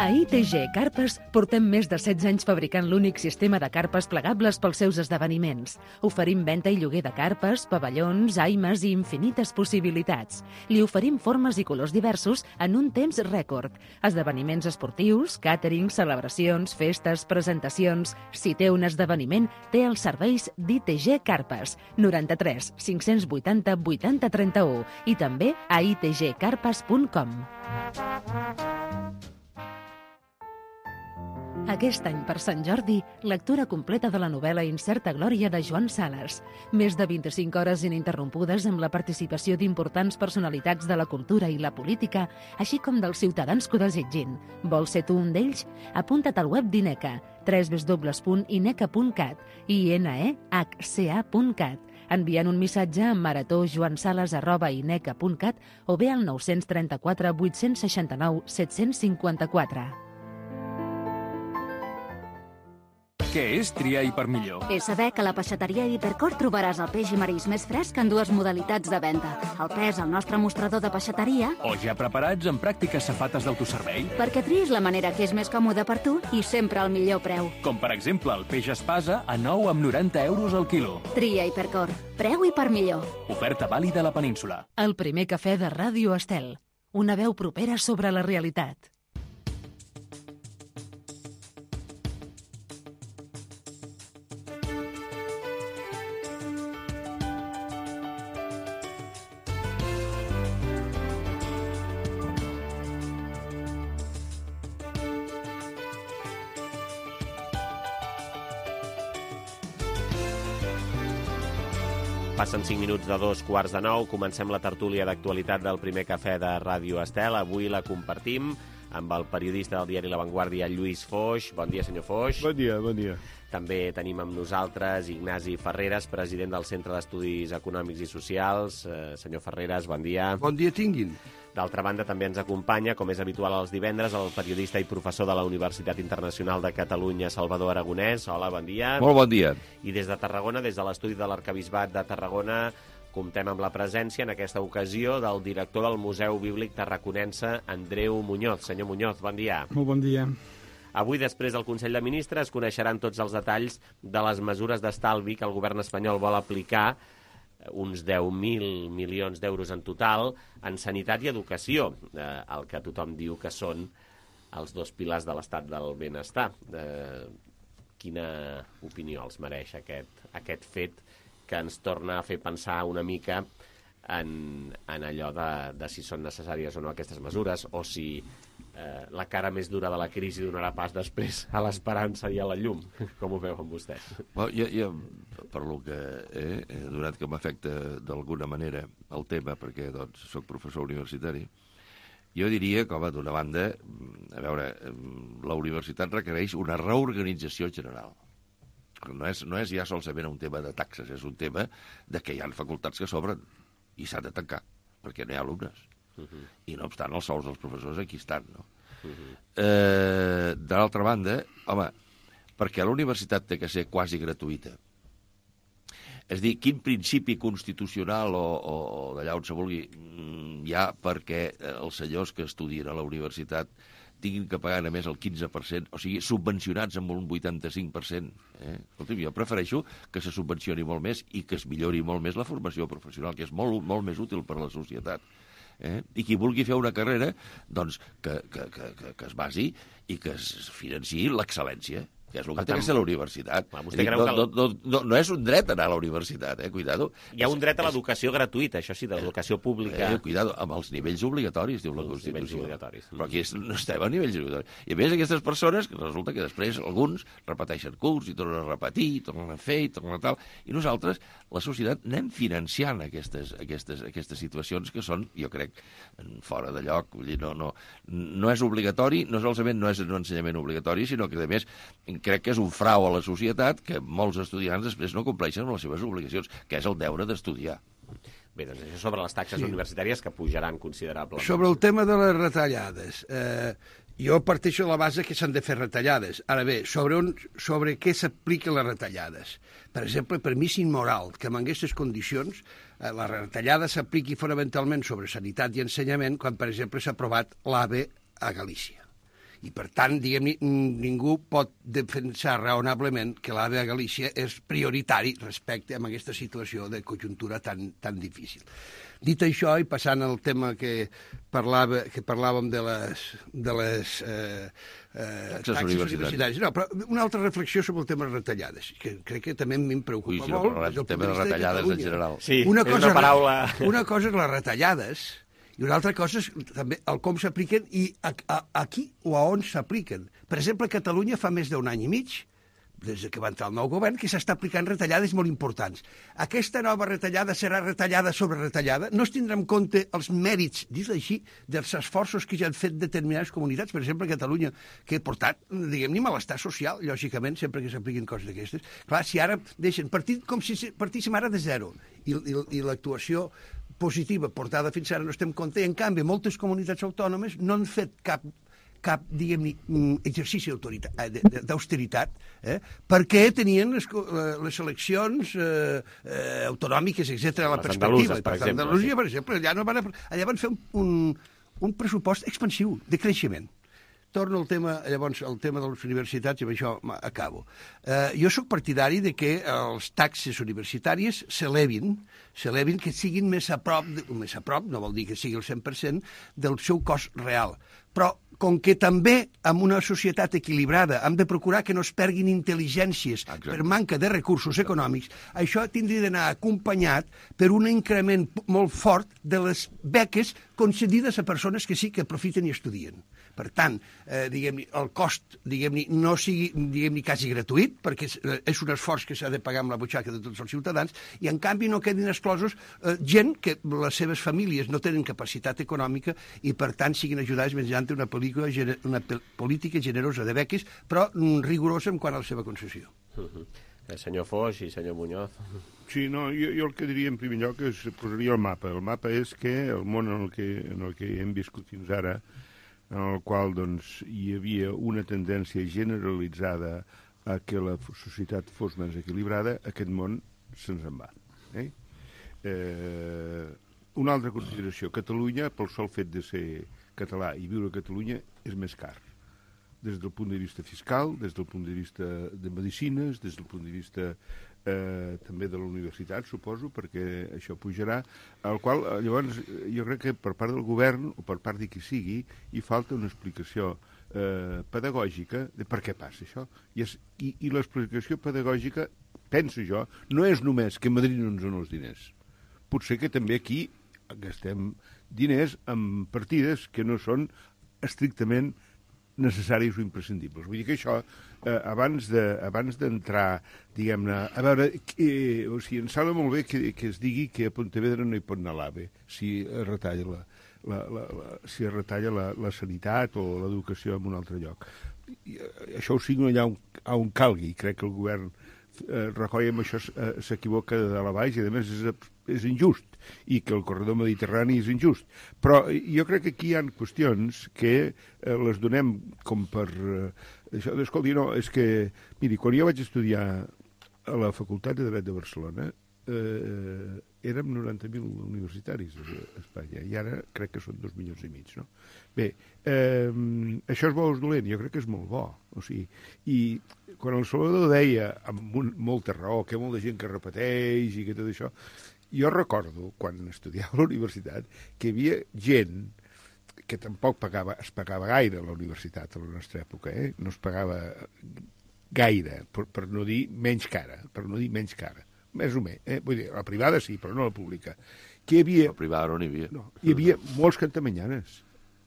A ITG Carpes portem més de 16 anys fabricant l'únic sistema de carpes plegables pels seus esdeveniments. Oferim venda i lloguer de carpes, pavellons, aimes i infinites possibilitats. Li oferim formes i colors diversos en un temps rècord. Esdeveniments esportius, càtering, celebracions, festes, presentacions... Si té un esdeveniment, té els serveis d'ITG Carpes. 93 580 80 31 i també a itgcarpes.com. Aquest any, per Sant Jordi, lectura completa de la novel·la Incerta Glòria de Joan Sales. Més de 25 hores ininterrompudes amb la participació d'importants personalitats de la cultura i la política, així com dels ciutadans que ho desitgin. Vols ser tu un d'ells? Apunta't al web d'INECA, www.ineca.cat i inehca.cat, enviant un missatge a marató.joansales@ineca.cat o bé al 934 869 754. Què és triar Hipermillor? És saber que a la peixateria Hipercor trobaràs el peix i marisc més fresc en dues modalitats de venda. El pes al nostre mostrador de peixateria... O ja preparats en pràctiques safates d'autoservei. Perquè triïs la manera que és més còmoda per tu i sempre al millor preu. Com per exemple el peix espasa a 9,90 € al quilo. Tria Hipercor. Preu Hipermillor. Oferta vàlida a la península. El primer cafè de Ràdio Estel. Una veu propera sobre la realitat. Passen 5 minuts de 2:45. Comencem la tertúlia d'actualitat del primer cafè de Ràdio Estel. Avui la compartim amb el periodista del diari La Vanguardia, Lluís Foix. Bon dia, senyor Foix. Bon dia, bon dia. També tenim amb nosaltres Ignasi Ferreres, president del Centre d'Estudis Econòmics i Socials. Senyor Ferreres, bon dia. Bon dia tinguin. D'altra banda, també ens acompanya, com és habitual els divendres, el periodista i professor de la Universitat Internacional de Catalunya, Salvador Aragonès. Hola, bon dia. Molt bon dia. I des de Tarragona, des de l'estudi de l'Arquebisbat de Tarragona, comptem amb la presència, en aquesta ocasió, del director del Museu Bíblic Tarraconense, Andreu Muñoz. Senyor Muñoz, bon dia. Molt bon dia. Avui, després del Consell de Ministres, coneixeran tots els detalls de les mesures d'estalvi que el govern espanyol vol aplicar, uns 10.000 milions d'euros en total, en sanitat i educació, el que tothom diu que són els dos pilars de l'estat del benestar. Quina opinió els mereix aquest fet que ens torna a fer pensar una mica en allò de si són necessàries o no aquestes mesures, o si la cara més dura de la crisi donarà pas després a l'esperança i a la llum? Com ho veuen vostès? Jo, per lo que he donat que m'afecta d'alguna manera el tema, perquè doncs, soc professor universitari, jo diria que, home, d'una banda, a veure, la universitat requereix una reorganització general. No és ja solament un tema de taxes, és un tema de que hi ha facultats que s'obren i s'han de tancar, perquè no hi ha alumnes. I no obstant, els sous dels professors aquí estan, no? De l'altra banda, home, perquè la universitat té que ser quasi gratuïta. És dir, quin principi constitucional o d'allà on se vulgui hi ha perquè els senyors que estudien a la universitat tinguin que pagar només el 15%, o sigui, subvencionats amb un 85%. Escolta'm, jo prefereixo que se subvencioni molt més i que es millori molt més la formació professional, que és molt, molt més útil per a la societat. I qui vulgui fer una carrera, doncs que es basi i que es financiï l'excel·lència, que és el que té que ser la universitat. No és un dret anar a la universitat, cuidado. Hi ha un dret a l'educació gratuïta, això sí, de l'educació pública. Cuidado, amb els nivells obligatoris, diu la Constitució. Però aquí no estem a nivells obligatoris. I a més, aquestes persones, resulta que després alguns repeteixen curs i tornen a repetir, tornen a fer i tornen a tal. I nosaltres, la societat, anem financiant aquestes situacions que són, jo crec, fora de lloc. Vull dir, no és obligatori, no solament no és un ensenyament obligatori, sinó que, a més, crec que és un frau a la societat que molts estudiants després no compleixen amb les seves obligacions, que és el deure d'estudiar. Bé, doncs això sobre les taxes universitàries que pujaran considerablement. Sobre el tema de les retallades, jo parteixo de la base que s'han de fer retallades. Ara bé, sobre què s'apliquen les retallades? Per exemple, per mi és immoral que en aquestes condicions la retallada s'apliqui fonamentalment sobre sanitat i ensenyament quan, per exemple, s'ha aprovat l'AVE a Galícia. I, per tant, diguem-ne, ningú pot defensar raonablement que l'AVE a Galícia és prioritari respecte a aquesta situació de conjuntura tan difícil. Dit això, i passant al tema que parlàvem de les taxes universitàries. No, però una altra reflexió sobre el tema de retallades, que crec que també em preocupa molt. El tema de retallades en general. Sí, és una paraula... Una cosa és les retallades i una altra cosa és també el com s'apliquen i a qui o a on s'apliquen. Per exemple, a Catalunya fa més d'un any i mig, des que va entrar el nou govern, que s'està aplicant retallades molt importants. Aquesta nova retallada serà retallada sobre retallada? No es tindrà en compte els mèrits, dis així, dels esforços que ja han fet determinades comunitats, per exemple, Catalunya, que ha portat, diguem-ne, malestar social, lògicament, sempre que s'apliquin coses d'aquestes. Clar, si ara deixen com si partíssim ara de zero, i l'actuació positiva portada fins ara no estem en compte, i en canvi moltes comunitats autònomes no han fet cap diguem-ne, exercici d'austeritat, perquè tenien les eleccions autonòmiques, etc. a la perspectiva. Per exemple. Andalusia, per exemple, allà van fer un pressupost expansiu, de creixement. Torno al tema, llavors, al tema de les universitats, i amb això acabo. Jo sóc partidari de que les taxes universitàries s'elevin, que siguin més a prop, no vol dir que sigui el 100%, del seu cost real. Però, com que també en una societat equilibrada hem de procurar que no es perguin intel·ligències per manca de recursos econòmics, això tindria d'anar acompanyat per un increment molt fort de les beques concedides a persones que sí que aprofiten i estudien. Per tant, diguem-ne, el cost, diguem-ne, no sigui, diguem-ne, quasi gratuït, perquè és un esforç que s'ha de pagar amb la butxaca de tots els ciutadans, i en canvi no quedin exclosos gent que les seves famílies no tenen capacitat econòmica i per tant siguin ajudades mitjançant una política generosa de beques, però rigorosa en quant a la seva concessió. Senyor Foix i senyor Muñoz. Sí, no, jo el que diria en primer lloc és posaria el mapa. El mapa és que el món en el que hem viscut fins ara, en el qual doncs, hi havia una tendència generalitzada a que la societat fos més equilibrada, aquest món se'ns en va. Una altra consideració. Catalunya, pel sol fet de ser català i viure a Catalunya, és més car. Des del punt de vista fiscal, des del punt de vista de medicines, des del punt de vista també de la universitat, suposo, perquè això pujarà, al qual, llavors, jo crec que per part del govern, o per part de qui sigui, hi falta una explicació pedagògica de per què passa això. I l'explicació pedagògica, penso jo, no és només que Madrid no ens dona els diners. Potser que també aquí gastem diners en partides que no són estrictament necessaris o imprescindibles. Vull dir que això, abans d'entrar, diguem-ne, a veure, o sigui, em sembla molt bé que es digui que a Pontevedra no hi pot anar l'AVE si es retalla la sanitat o l'educació en un altre lloc. Això ho signo allà on calgui. Crec que el govern Rajoy amb això s'equivoca de dalt a baix i a més és injust, i que el corredor mediterrani és injust. Però jo crec que aquí hi ha qüestions que les donem com per... Això, escolti, no, és que... Miri, quan jo vaig estudiar a la Facultat de Dret de Barcelona, érem 90.000 universitaris a Espanya, i ara crec que són 2,5 milions, no? Bé, això és bo o és dolent? Jo crec que és molt bo. O sigui, i quan el Salvador deia, amb molta raó, que hi ha molta gent que repeteix i que tot això, jo recordo, quan estudiava a la universitat, que hi havia gent que tampoc es pagava gaire a la universitat a la nostra època, no es pagava gaire, per no dir menys cara, més o menys, vull dir, la privada sí, però no la pública. La privada no n'hi havia. No, hi havia molts cantamanyanes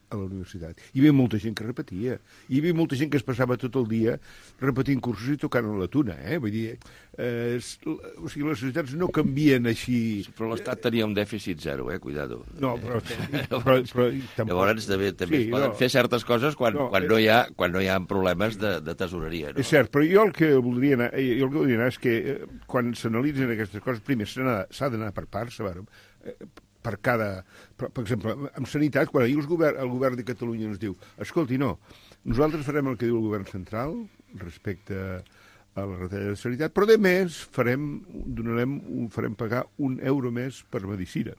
a la universitat. Hi havia molta gent que repetia. Hi havia molta gent que es passava tot el dia repetint cursos i tocant a la tuna, Vull dir, o sigui, les societats no canvien així... Però l'Estat tenia un dèficit zero, cuidado. No, però tampoc... Llavors també es poden fer certes coses quan no hi ha problemes de tesoreria, no? És cert, però jo el que voldria anar és que quan s'analitzen aquestes coses, primer s'ha d'anar per parts, per cada... Per exemple, en sanitat, quan ahir el govern de Catalunya ens diu escolti, no, nosaltres farem el que diu el govern central respecte a la retallada de sanitat, però a més farem pagar €1 més per medicina,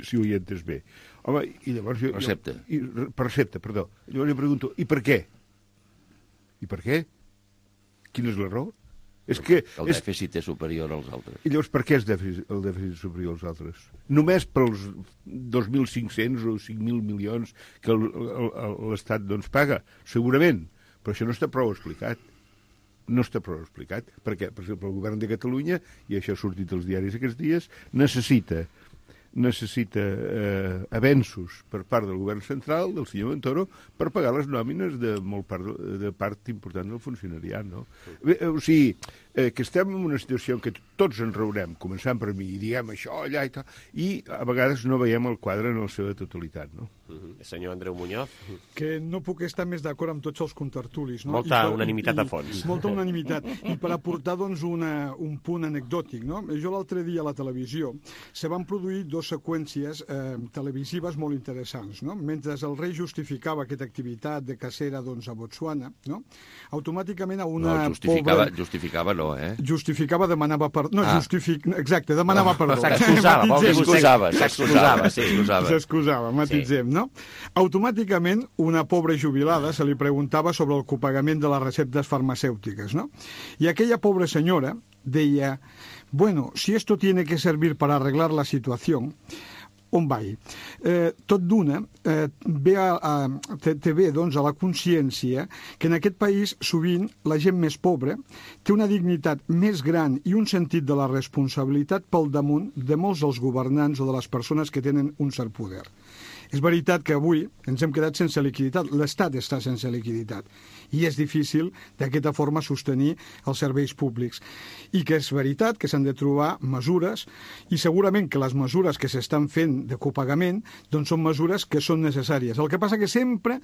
si ho hi entès bé. Home, i llavors... Recepta. Per recepta, perdó. Llavors jo pregunto, i per què? I per què? Quina és la raó? És que el dèficit és superior als altres. I llavors per què és el dèficit superior als altres? Només pels 2.500 o 5.000 milions que l'Estat doncs paga? Segurament, però això no està prou explicat. No està prou explicat, perquè, per exemple, el govern de Catalunya, i això ha sortit als diaris aquests dies, necessita avenços per part del govern central, del senyor Montoro, per pagar les nòmines de part important del funcionariat, no? Bé, o sigui, que estem en una situació en què tots ens reurem, començant per mi, i diguem això, allà i tal, i a vegades no veiem el quadre en la seva totalitat, no? Senyor Andreu Muñoz. Que no puc estar més d'acord amb tots els contertulis, no? Molta unanimitat a fons. Molta unanimitat. I per aportar, doncs, un punt anecdòtic, no? Jo l'altre dia a la televisió se van produir dues seqüències televisives molt interessants, no? Mentre el rei justificava aquesta activitat de cacera, doncs, a Botswana, no? Automàticament a una justificava no, eh? Justificava, demanava perdó. No, exacte, demanava perdó. S'excusava, matitzem, no? Automàticament, una pobra jubilada se li preguntava sobre el copagament de les receptes farmacèutiques, no? I aquella pobra senyora deia, bueno, si esto tiene que servir para arreglar la situación, on vai? Tot d'una té bé doncs, a la consciència que en aquest país sovint la gent més pobra té una dignitat més gran i un sentit de la responsabilitat pel damunt de molts dels governants o de les persones que tenen un cert poder. És veritat que avui ens hem quedat sense liquiditat, l'Estat està sense liquiditat, i és difícil d'aquesta forma sostenir els serveis públics. I que és veritat que s'han de trobar mesures, i segurament que les mesures que s'estan fent de copagament doncs són mesures que són necessàries. El que passa que sempre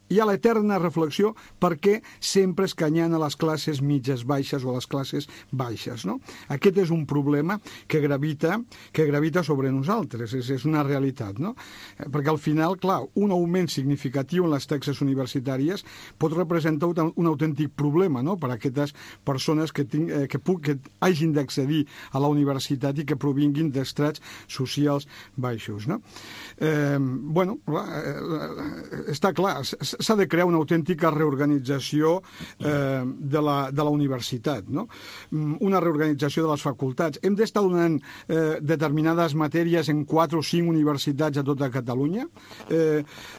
hi ha l'eterna reflexió perquè sempre escanyant a les classes mitges baixes o a les classes baixes. No? Aquest és un problema que gravita sobre nosaltres, és una realitat. No? Perquè al final, clar, un augment significatiu en les taxes universitàries pot representar un autèntic problema, no?, per a aquestes persones que hagin d'accedir a la universitat i que provinguin d'estrats socials baixos. No? Està clar, s'ha de crear una autèntica reorganització de la universitat, no? Una reorganització de les facultats. Hem d'estar donant determinades matèries en 4 o 5 universitats a tota Catalunya.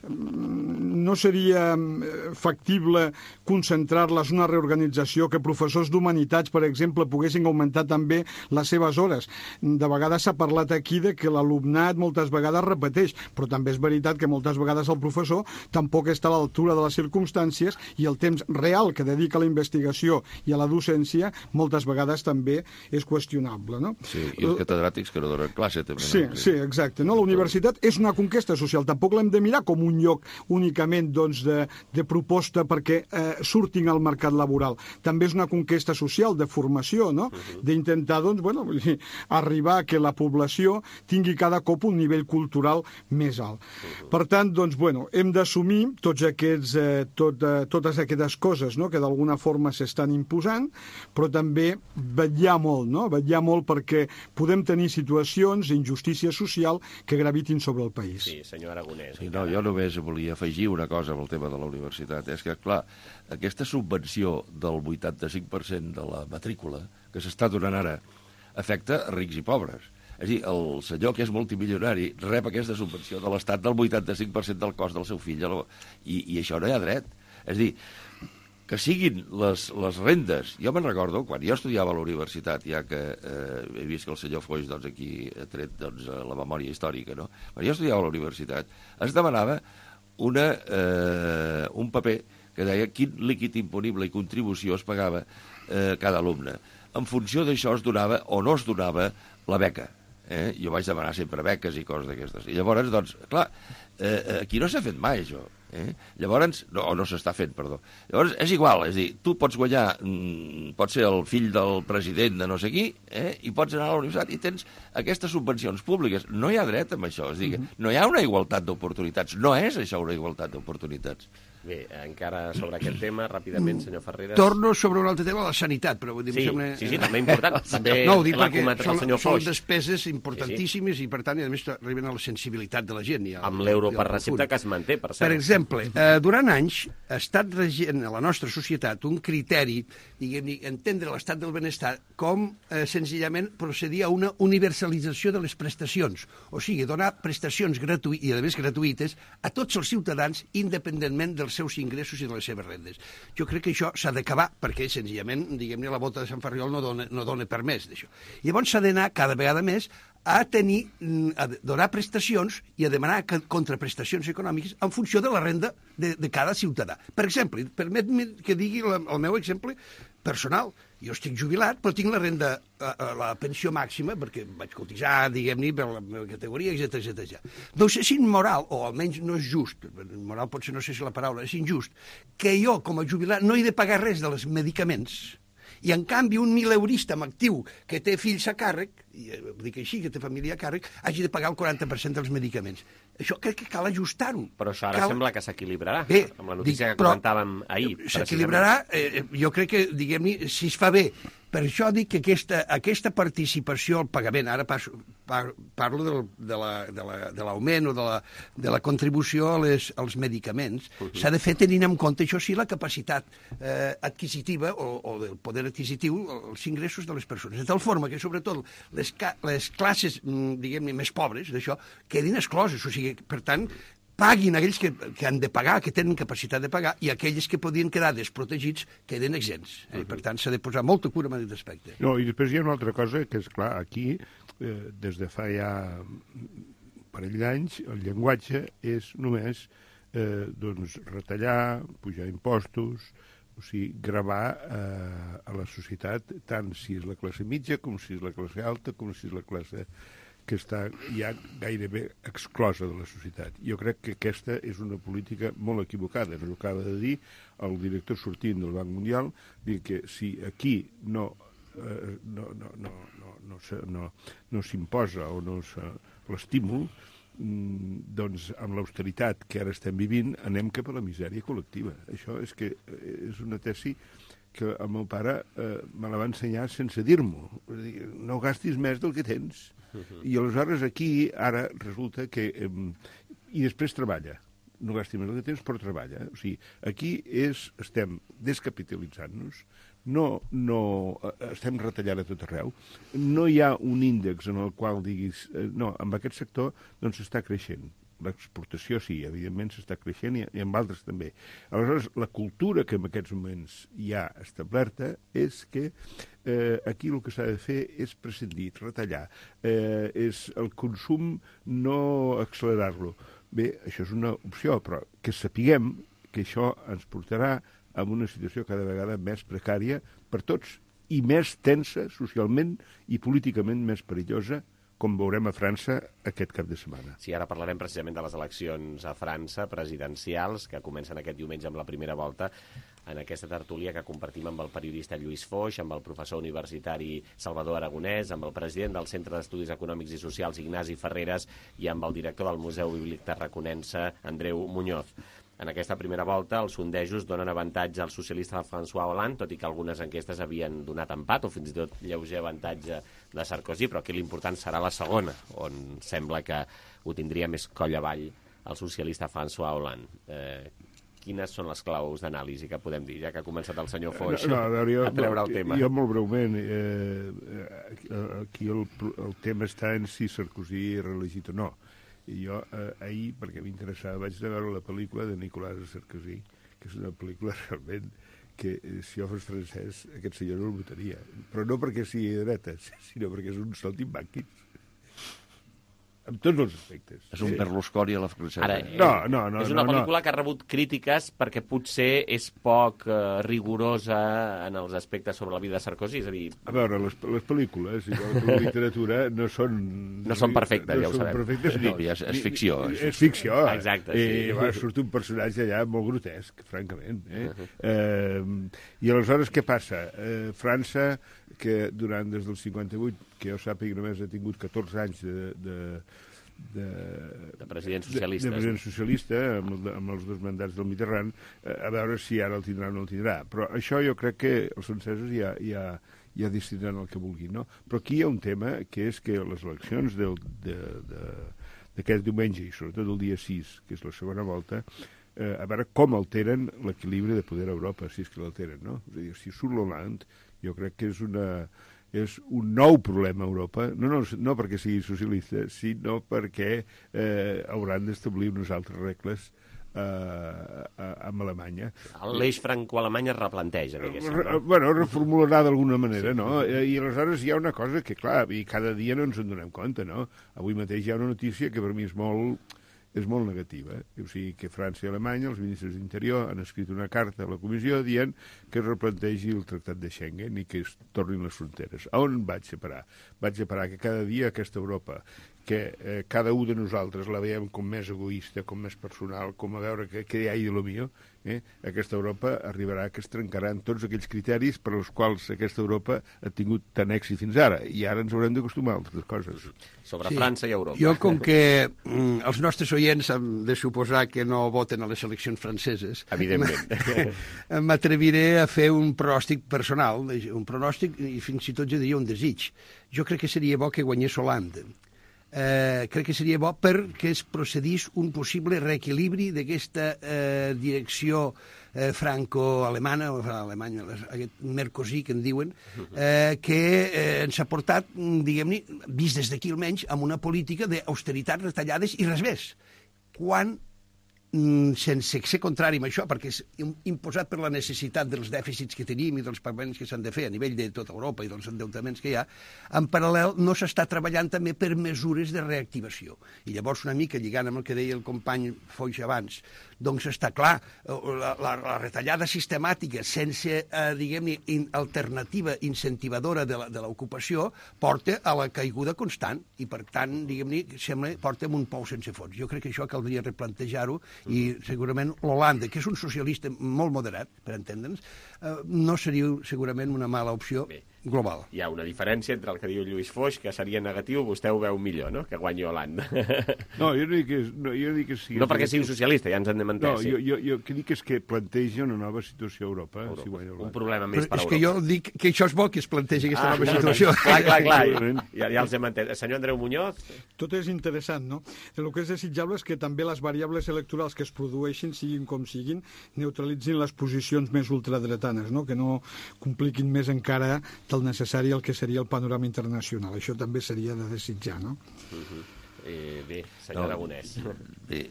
No seria factible concentrar-les en una reorganització, que professors d'humanitats, per exemple, poguessin augmentar també les seves hores. De vegades s'ha parlat aquí de que l'alumnat moltes vegades repeteix, però també és veritat que moltes vegades el professor tampoc està a l'altura de les circumstàncies i el temps real que dedica a la investigació i a la docència moltes vegades també és qüestionable. No? Sí, i els catedràtics que no donen classe també. Sí, exacte. No? La universitat és una conquesta social, tampoc l'hem de mirar com un lloc únicament de proposta perquè surtin al mercat laboral. També és una conquesta social de formació, no? D'intentar arribar a que la població tingui cada cop un nivell cultural més alt. Per tant, hem d'assumir totes aquestes coses, no?, que d'alguna forma s'estan imposant, però també vetllar molt perquè podem tenir situacions d'injustícia social que gravitin sobre el país. Sí, senyor Aragonès. Sí, no, jo només volia afegir una cosa amb el tema de la universitat. És que, clar, aquesta subvenció del 85% de la matrícula que s'està donant ara afecta rics i pobres. És a dir, el senyor que és multimilionari rep aquesta subvenció de l'Estat del 85% del cost del seu fill, i això no hi ha dret. És a dir, que siguin les rendes. Jo me'n recordo, quan jo estudiava a la universitat, ja que he vist que el senyor Foix aquí ha tret la memòria històrica, no? Quan jo estudiava a la universitat es demanava un paper que deia quin líquid imponible i contribució es pagava cada alumne. En funció d'això es donava o no es donava la beca. Jo vaig demanar sempre beques i coses d'aquestes. I llavors, doncs, clar, aquí no s'ha fet mai, això. Llavors, no s'està fent, perdó. Llavors, és igual, és a dir, tu pots guanyar, pots ser el fill del president de no sé qui, i pots anar a la universitat i tens aquestes subvencions públiques. No hi ha dret amb això, és a dir, no hi ha una igualtat d'oportunitats. No és això una igualtat d'oportunitats. Bé, encara sobre aquest tema, ràpidament, senyor Ferreres. Torno sobre un altre tema, la sanitat, però vull dir... Sí, també important. També no, ho dic l'ha perquè comentat el senyor són Foix. despeses importantíssimes i, per tant, a més, arriben a la sensibilitat de la gent. Amb l'euro per recepta que es manté, per cert. Per exemple, durant anys ha estat regent a la nostra societat un criteri, diguem-ne, entendre l'estat del benestar com senzillament procedir a una universalització de les prestacions. O sigui, donar prestacions gratuïtes, i a més gratuïtes, a tots els ciutadans, independentment dels seus ingressos i de les seves rendes. Jo crec que això s'ha d'acabar perquè, senzillament, diguem-ne, la bota de Sant Ferriol no dona per més d'això. Llavors s'ha d'anar cada vegada més a donar prestacions i a demanar contraprestacions econòmiques en funció de la renda de cada ciutadà. Per exemple, permet-me que digui el meu exemple personal. Jo estic jubilat, però tinc la renda, la pensió màxima, perquè vaig cotitzar, diguem-ne, per la meva categoria, etc. Doncs és immoral, o almenys no és just, moral potser no sé si la paraula, és injust, que jo, com a jubilat, no he de pagar res dels medicaments, i en canvi un mileurista amb actiu que té fills a càrrec, i dic així, que té família a càrrec, hagi de pagar el 40% dels medicaments. Això crec que cal ajustar-ho. Però això ara sembla que s'equilibrarà, amb la notícia que comentàvem ahir. S'equilibrarà, jo crec que, diguem-ne, si es fa bé. Per això dic que aquesta participació al pagament, ara parlo de l'augment o de la contribució als medicaments, s'ha de fer tenint en compte, això sí, la capacitat adquisitiva o del poder adquisitiu, els ingressos de les persones. De tal forma que, sobretot, les classes, diguem-ne, més pobres d'això, quedin excloses. O sigui, per tant, paguin aquells que han de pagar, que tenen capacitat de pagar, i aquells que podien quedar desprotegits queden exempts. Per tant, s'ha de posar molta cura en aquest aspecte. No, i després hi ha una altra cosa, que és clar, aquí, des de fa ja un parell d'anys, el llenguatge és només retallar, pujar impostos, o sigui, gravar a la societat, tant si és la classe mitja, com si és la classe alta, com si és la classe que està ja gairebé exclosa de la societat. Jo crec que aquesta és una política molt equivocada. Ens ho acaba de dir el director sortint del Banc Mundial, dir que si aquí no s'imposa o no l'estímul, doncs amb l'austeritat que ara estem vivint anem cap a la misèria col·lectiva. Això és que és una tesi que el meu pare me la va ensenyar sense dir-m'ho. No gastis més del que tens. I aleshores aquí, ara, resulta que... I després treballa. No gasti més del que tens, però treballa. O sigui, aquí estem descapitalitzant-nos, estem retallant a tot arreu, no hi ha un índex en el qual diguis... No, amb aquest sector doncs està creixent. L'exportació sí, evidentment s'està creixent i amb altres també. Aleshores, la cultura que en aquests moments hi ha establerta és que aquí el que s'ha de fer és prescindir, retallar, és el consum no accelerar-lo. Bé, això és una opció, però que sapiguem que això ens portarà a una situació cada vegada més precària per tots i més tensa socialment i políticament més perillosa, com veurem a França aquest cap de setmana. Sí, ara parlarem precisament de les eleccions a França, presidencials, que comencen aquest diumenge amb la primera volta, en aquesta tertúlia que compartim amb el periodista Lluís Foix, amb el professor universitari Salvador Aragonès, amb el president del Centre d'Estudis Econòmics i Socials, Ignasi Ferreres, i amb el director del Museu Bíblic Tarraconense, Andreu Muñoz. En aquesta primera volta, els sondejos donen avantatge al socialista François Hollande, tot i que algunes enquestes havien donat empat, o fins i tot lleuger avantatge de Sarkozy, però aquí l'important serà la segona, on sembla que ho tindria més coll avall el socialista François Hollande. Quines són les claus d'anàlisi que podem dir, ja que ha començat el senyor Foix a treure el tema? Jo molt breument, aquí el tema està en si Sarkozy és reelegit o no. I jo ahir, perquè m'interessava, vaig anar a veure la pel·lícula de Nicolas Sarkozy, que és una pel·lícula realment que si jo fos francès aquest senyor no el votaria. Però no perquè sigui de dretes, sinó perquè és un saltimbanquis. amb tots els aspectes. És un Berlusconi a la francesa. Ara, no, és una pel·lícula que ha rebut crítiques perquè potser és poc rigorosa en els aspectes sobre la vida de Sarkozy, és a dir... A veure, les pel·lícules, igual que la literatura, no són... No són perfectes, ja ho sabem. Perfectes, no, és ficció. És ficció. Exacte, sí. I surt un personatge allà molt grotesc, francament. I aleshores què passa? França, que durant des del 58, que jo sàpiga només ha tingut 14 anys president socialista. De president socialista, amb els 2 mandats del Mitterrand, a veure si ara el tindrà o no el tindrà. Però això jo crec que els francesos ja decidiran el que vulguin, no? Però aquí hi ha un tema, que és que les eleccions d'aquest diumenge, i sobretot el dia 6, que és la segona volta, a veure com alteren l'equilibri de poder a Europa, si és que l'alteren, no? És a dir, si surt l'Hollande, jo crec que és un nou problema a Europa, no perquè sigui socialista, sinó perquè hauran d'establir unes altres regles amb Alemanya. L'eix franco-alemany es replanteja, diguéssim. Bueno, reformularà d'alguna manera, no? I aleshores hi ha una cosa que, clar, cada dia no ens en donem compte, no? Avui mateix hi ha una notícia que per mi és molt negativa. O sigui, que França i Alemanya, els ministres d'Interior, han escrit una carta a la Comissió dient que es replantegi el Tractat de Schengen i que es tornin les fronteres. A on vaig a parar? Vaig a parar que cada dia aquesta Europa, que cada un de nosaltres la veiem com més egoista, com més personal, com a veure què hi ha de lo millor, aquesta Europa arribarà que es trencaran tots aquells criteris per als quals aquesta Europa ha tingut tant èxit fins ara, i ara ens haurem d'acostumar a altres coses. Sobre França i Europa. Jo, com que els nostres oients han de suposar que no voten a les eleccions franceses, evidentment, m'atreviré a fer un pronòstic personal, un pronòstic i fins i tot jo diria un desig. Jo crec que seria bo que guanyés Hollande. Crec que seria bo perquè es procedís un possible reequilibri d'aquesta direcció franco-alemana, aquest Mercosí que en diuen, que ens ha portat, diguem-ne, vist des d'aquí almenys, amb una política d'austeritat, retallades i res més. Quan sense ser contrari amb això, perquè és imposat per la necessitat dels dèficits que tenim i dels pagaments que s'han de fer a nivell de tota Europa i dels endeutaments que hi ha, en paral·lel no s'està treballant també per mesures de reactivació. I llavors una mica, lligant amb el que deia el company Foix abans, doncs està clar, la retallada sistemàtica sense, diguem-ne, alternativa incentivadora de l'ocupació porta a la caiguda constant i, per tant, diguem-ne, sembla porta amb un pou sense fons. Jo crec que això caldria replantejar-ho i segurament l'Holanda, que és un socialista molt moderat, per entendre'ns, no seria segurament una mala opció global. Hi ha una diferència entre el que diu Lluís Foix, que seria negatiu, vostè ho veu millor, no?, que guanyi Holanda. No, jo no dic que sigui... No perquè sigui un socialista, ja ens en hem entès. No, jo que dic és que planteja una nova situació a Europa. Si guanya Holanda. Un problema més per Europa. És que jo dic que això és bo, que es plantegi aquesta nova situació. Clar, ja els hem entès. Senyor Andreu Muñoz? Tot és interessant, no? El que és desitjable és que també les variables electorals que es produeixin, siguin com siguin, neutralitzin les posicions més ultradretanes, no? Que no compliquin més encara del necessari el que seria el panorama internacional. Això també seria de desitjar, no? Bé, senyor Aragonès. Bé,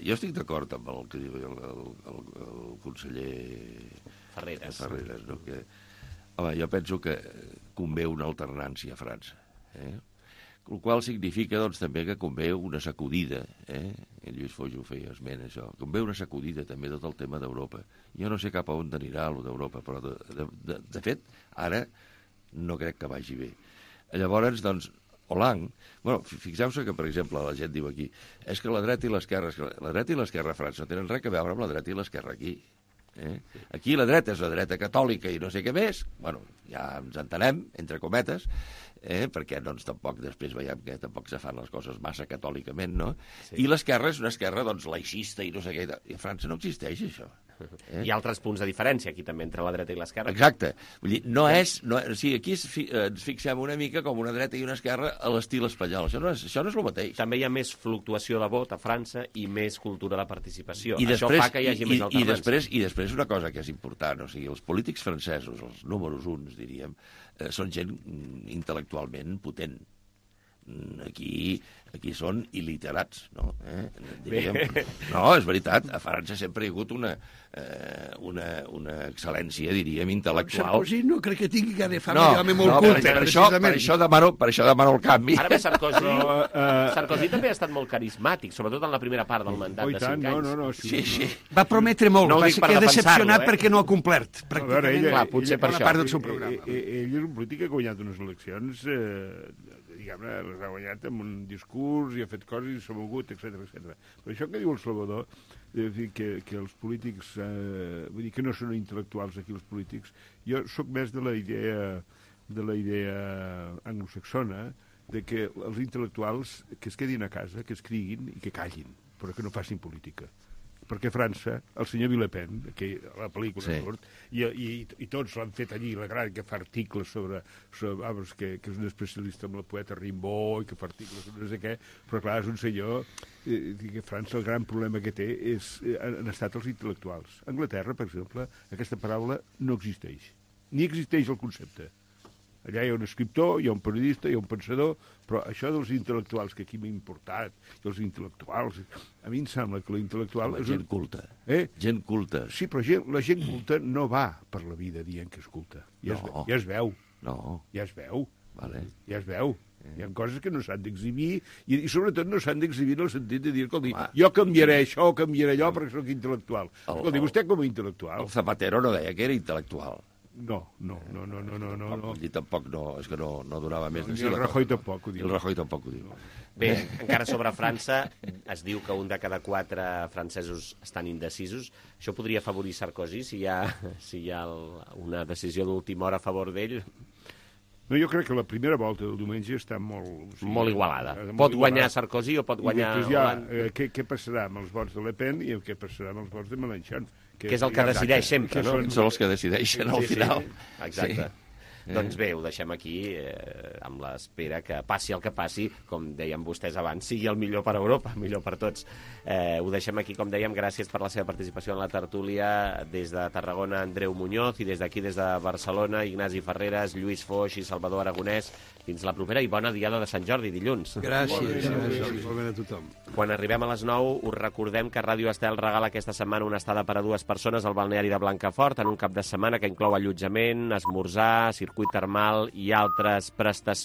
jo estic d'acord amb el que diu el conseller Ferreres, no? Que, home, jo penso que convé una alternància a França, el qual significa, doncs, també que convé una sacudida, el Lluís Foix ho feia esment, això, convé una sacudida també tot el tema d'Europa. Jo no sé cap a on anirà allò d'Europa, però de fet, ara no crec que vagi bé. Llavors, doncs, Hollande, bueno, fixeu-se que, per exemple, la gent diu aquí, és que la dreta i l'esquerra a França no tenen res a veure amb la dreta i l'esquerra aquí. Aquí la dreta és la dreta catòlica i no sé què més, bueno, ja ens entenem, entre cometes, perquè doncs tampoc després veiem que tampoc se fan les coses massa catòlicament, no? Sí. I l'esquerra és una esquerra doncs laicista i no sé què, i a França no existeix això. Hi ha altres punts de diferència aquí també entre la dreta i l'esquerra. Exacte, vull dir, o sigui, aquí ens fixem una mica com una dreta i una esquerra a l'estil espanyol, això no és el mateix. També hi ha més fluctuació de vot a França i més cultura de participació. Això fa que hi hagi més alternància. I després una cosa que és important, o sigui, els polítics francesos, els números uns, diríem, són gent intel·lectualment potent. Aquí són il·literats, no? No, és veritat, a França sempre hi ha hagut una excel·lència, diríem, intel·lectual. Sarkozy no crec que tingui que de fama d'home molt culte. Per això demano el canvi. Ara bé, Sarkozy també ha estat molt carismàtic, sobretot en la primera part del mandat de 5 anys. Sí. Va prometre molt, va ser decepcionat perquè no ha complert. Pràcticament, potser per això. Ell és un polític que ha guanyat unes eleccions, diguem-ne, les ha guanyat amb un discurs i ha fet coses i s'ha mogut, etc. Però això que diu el Salvador, que els polítics, vull dir que no són intel·lectuals aquí els polítics, jo sóc més de la idea anglosaxona, de que els intel·lectuals que es quedin a casa, que escriguin i que callin, però que no facin política. Perquè França, el senyor Villepin, que la pel·lícula surt, i tots l'han fet allí, la gran, que fa articles sobre que és un especialista en la poeta Rimbaud, i que fa articles sobre no sé què, però clar, és un senyor que França el gran problema que té han estat els intel·lectuals. A Anglaterra, per exemple, aquesta paraula no existeix. Ni existeix el concepte. Allà hi ha un escriptor, hi ha un periodista, hi ha un pensador, però això dels intel·lectuals, que aquí m'ha importat, i els intel·lectuals... A mi em sembla que l'intel·lectual... Gent culta. Gent culta. Sí, però la gent culta no va per la vida dient que és culta. Ja es veu. No. Ja es veu. Vale. Ja es veu. Hi ha coses que no s'han d'exhibir, i sobretot no s'han d'exhibir en el sentit de dir, escolti, jo canviaré això o canviaré allò perquè sóc intel·lectual. Escolti, vostè com a intel·lectual... El Zapatero no deia que era intel·lectual. No. I tampoc no, és que no donava més de si. I el Rajoy tampoc ho diu. El Rajoy tampoc ho diu. Bé, encara sobre França, es diu que un de cada 4 francesos estan indecisos. Això podria afavorir Sarkozy si hi ha una decisió d'última hora a favor d'ell? No, jo crec que la primera volta del diumenge està molt... Molt igualada. Pot guanyar Sarkozy o pot guanyar Hollande. Què passarà amb els vots de Le Pen i què passarà amb els vots de Mélenchon? Que és el que decideix sempre, no? Són els que decideixen al final. Exacte. Doncs bé, ho deixem aquí amb l'espera que passi el que passi, com deien vostès abans, sigui el millor per Europa, millor per tots. Ho deixem aquí, com dèiem, gràcies per la seva participació en la tertúlia. Des de Tarragona, Andreu Muñoz, i des d'aquí, des de Barcelona, Ignasi Ferreres, Lluís Foix i Salvador Aragonès. Fins la propera i bona diada de Sant Jordi, dilluns. Gràcies. Igualment a tothom. Quan arribem a les 9, us recordem que Ràdio Estel regala aquesta setmana una estada per a 2 persones al balneari de Blancafort en un cap de setmana que inclou allotjament, esmorzar, circuit termal i altres prestacions.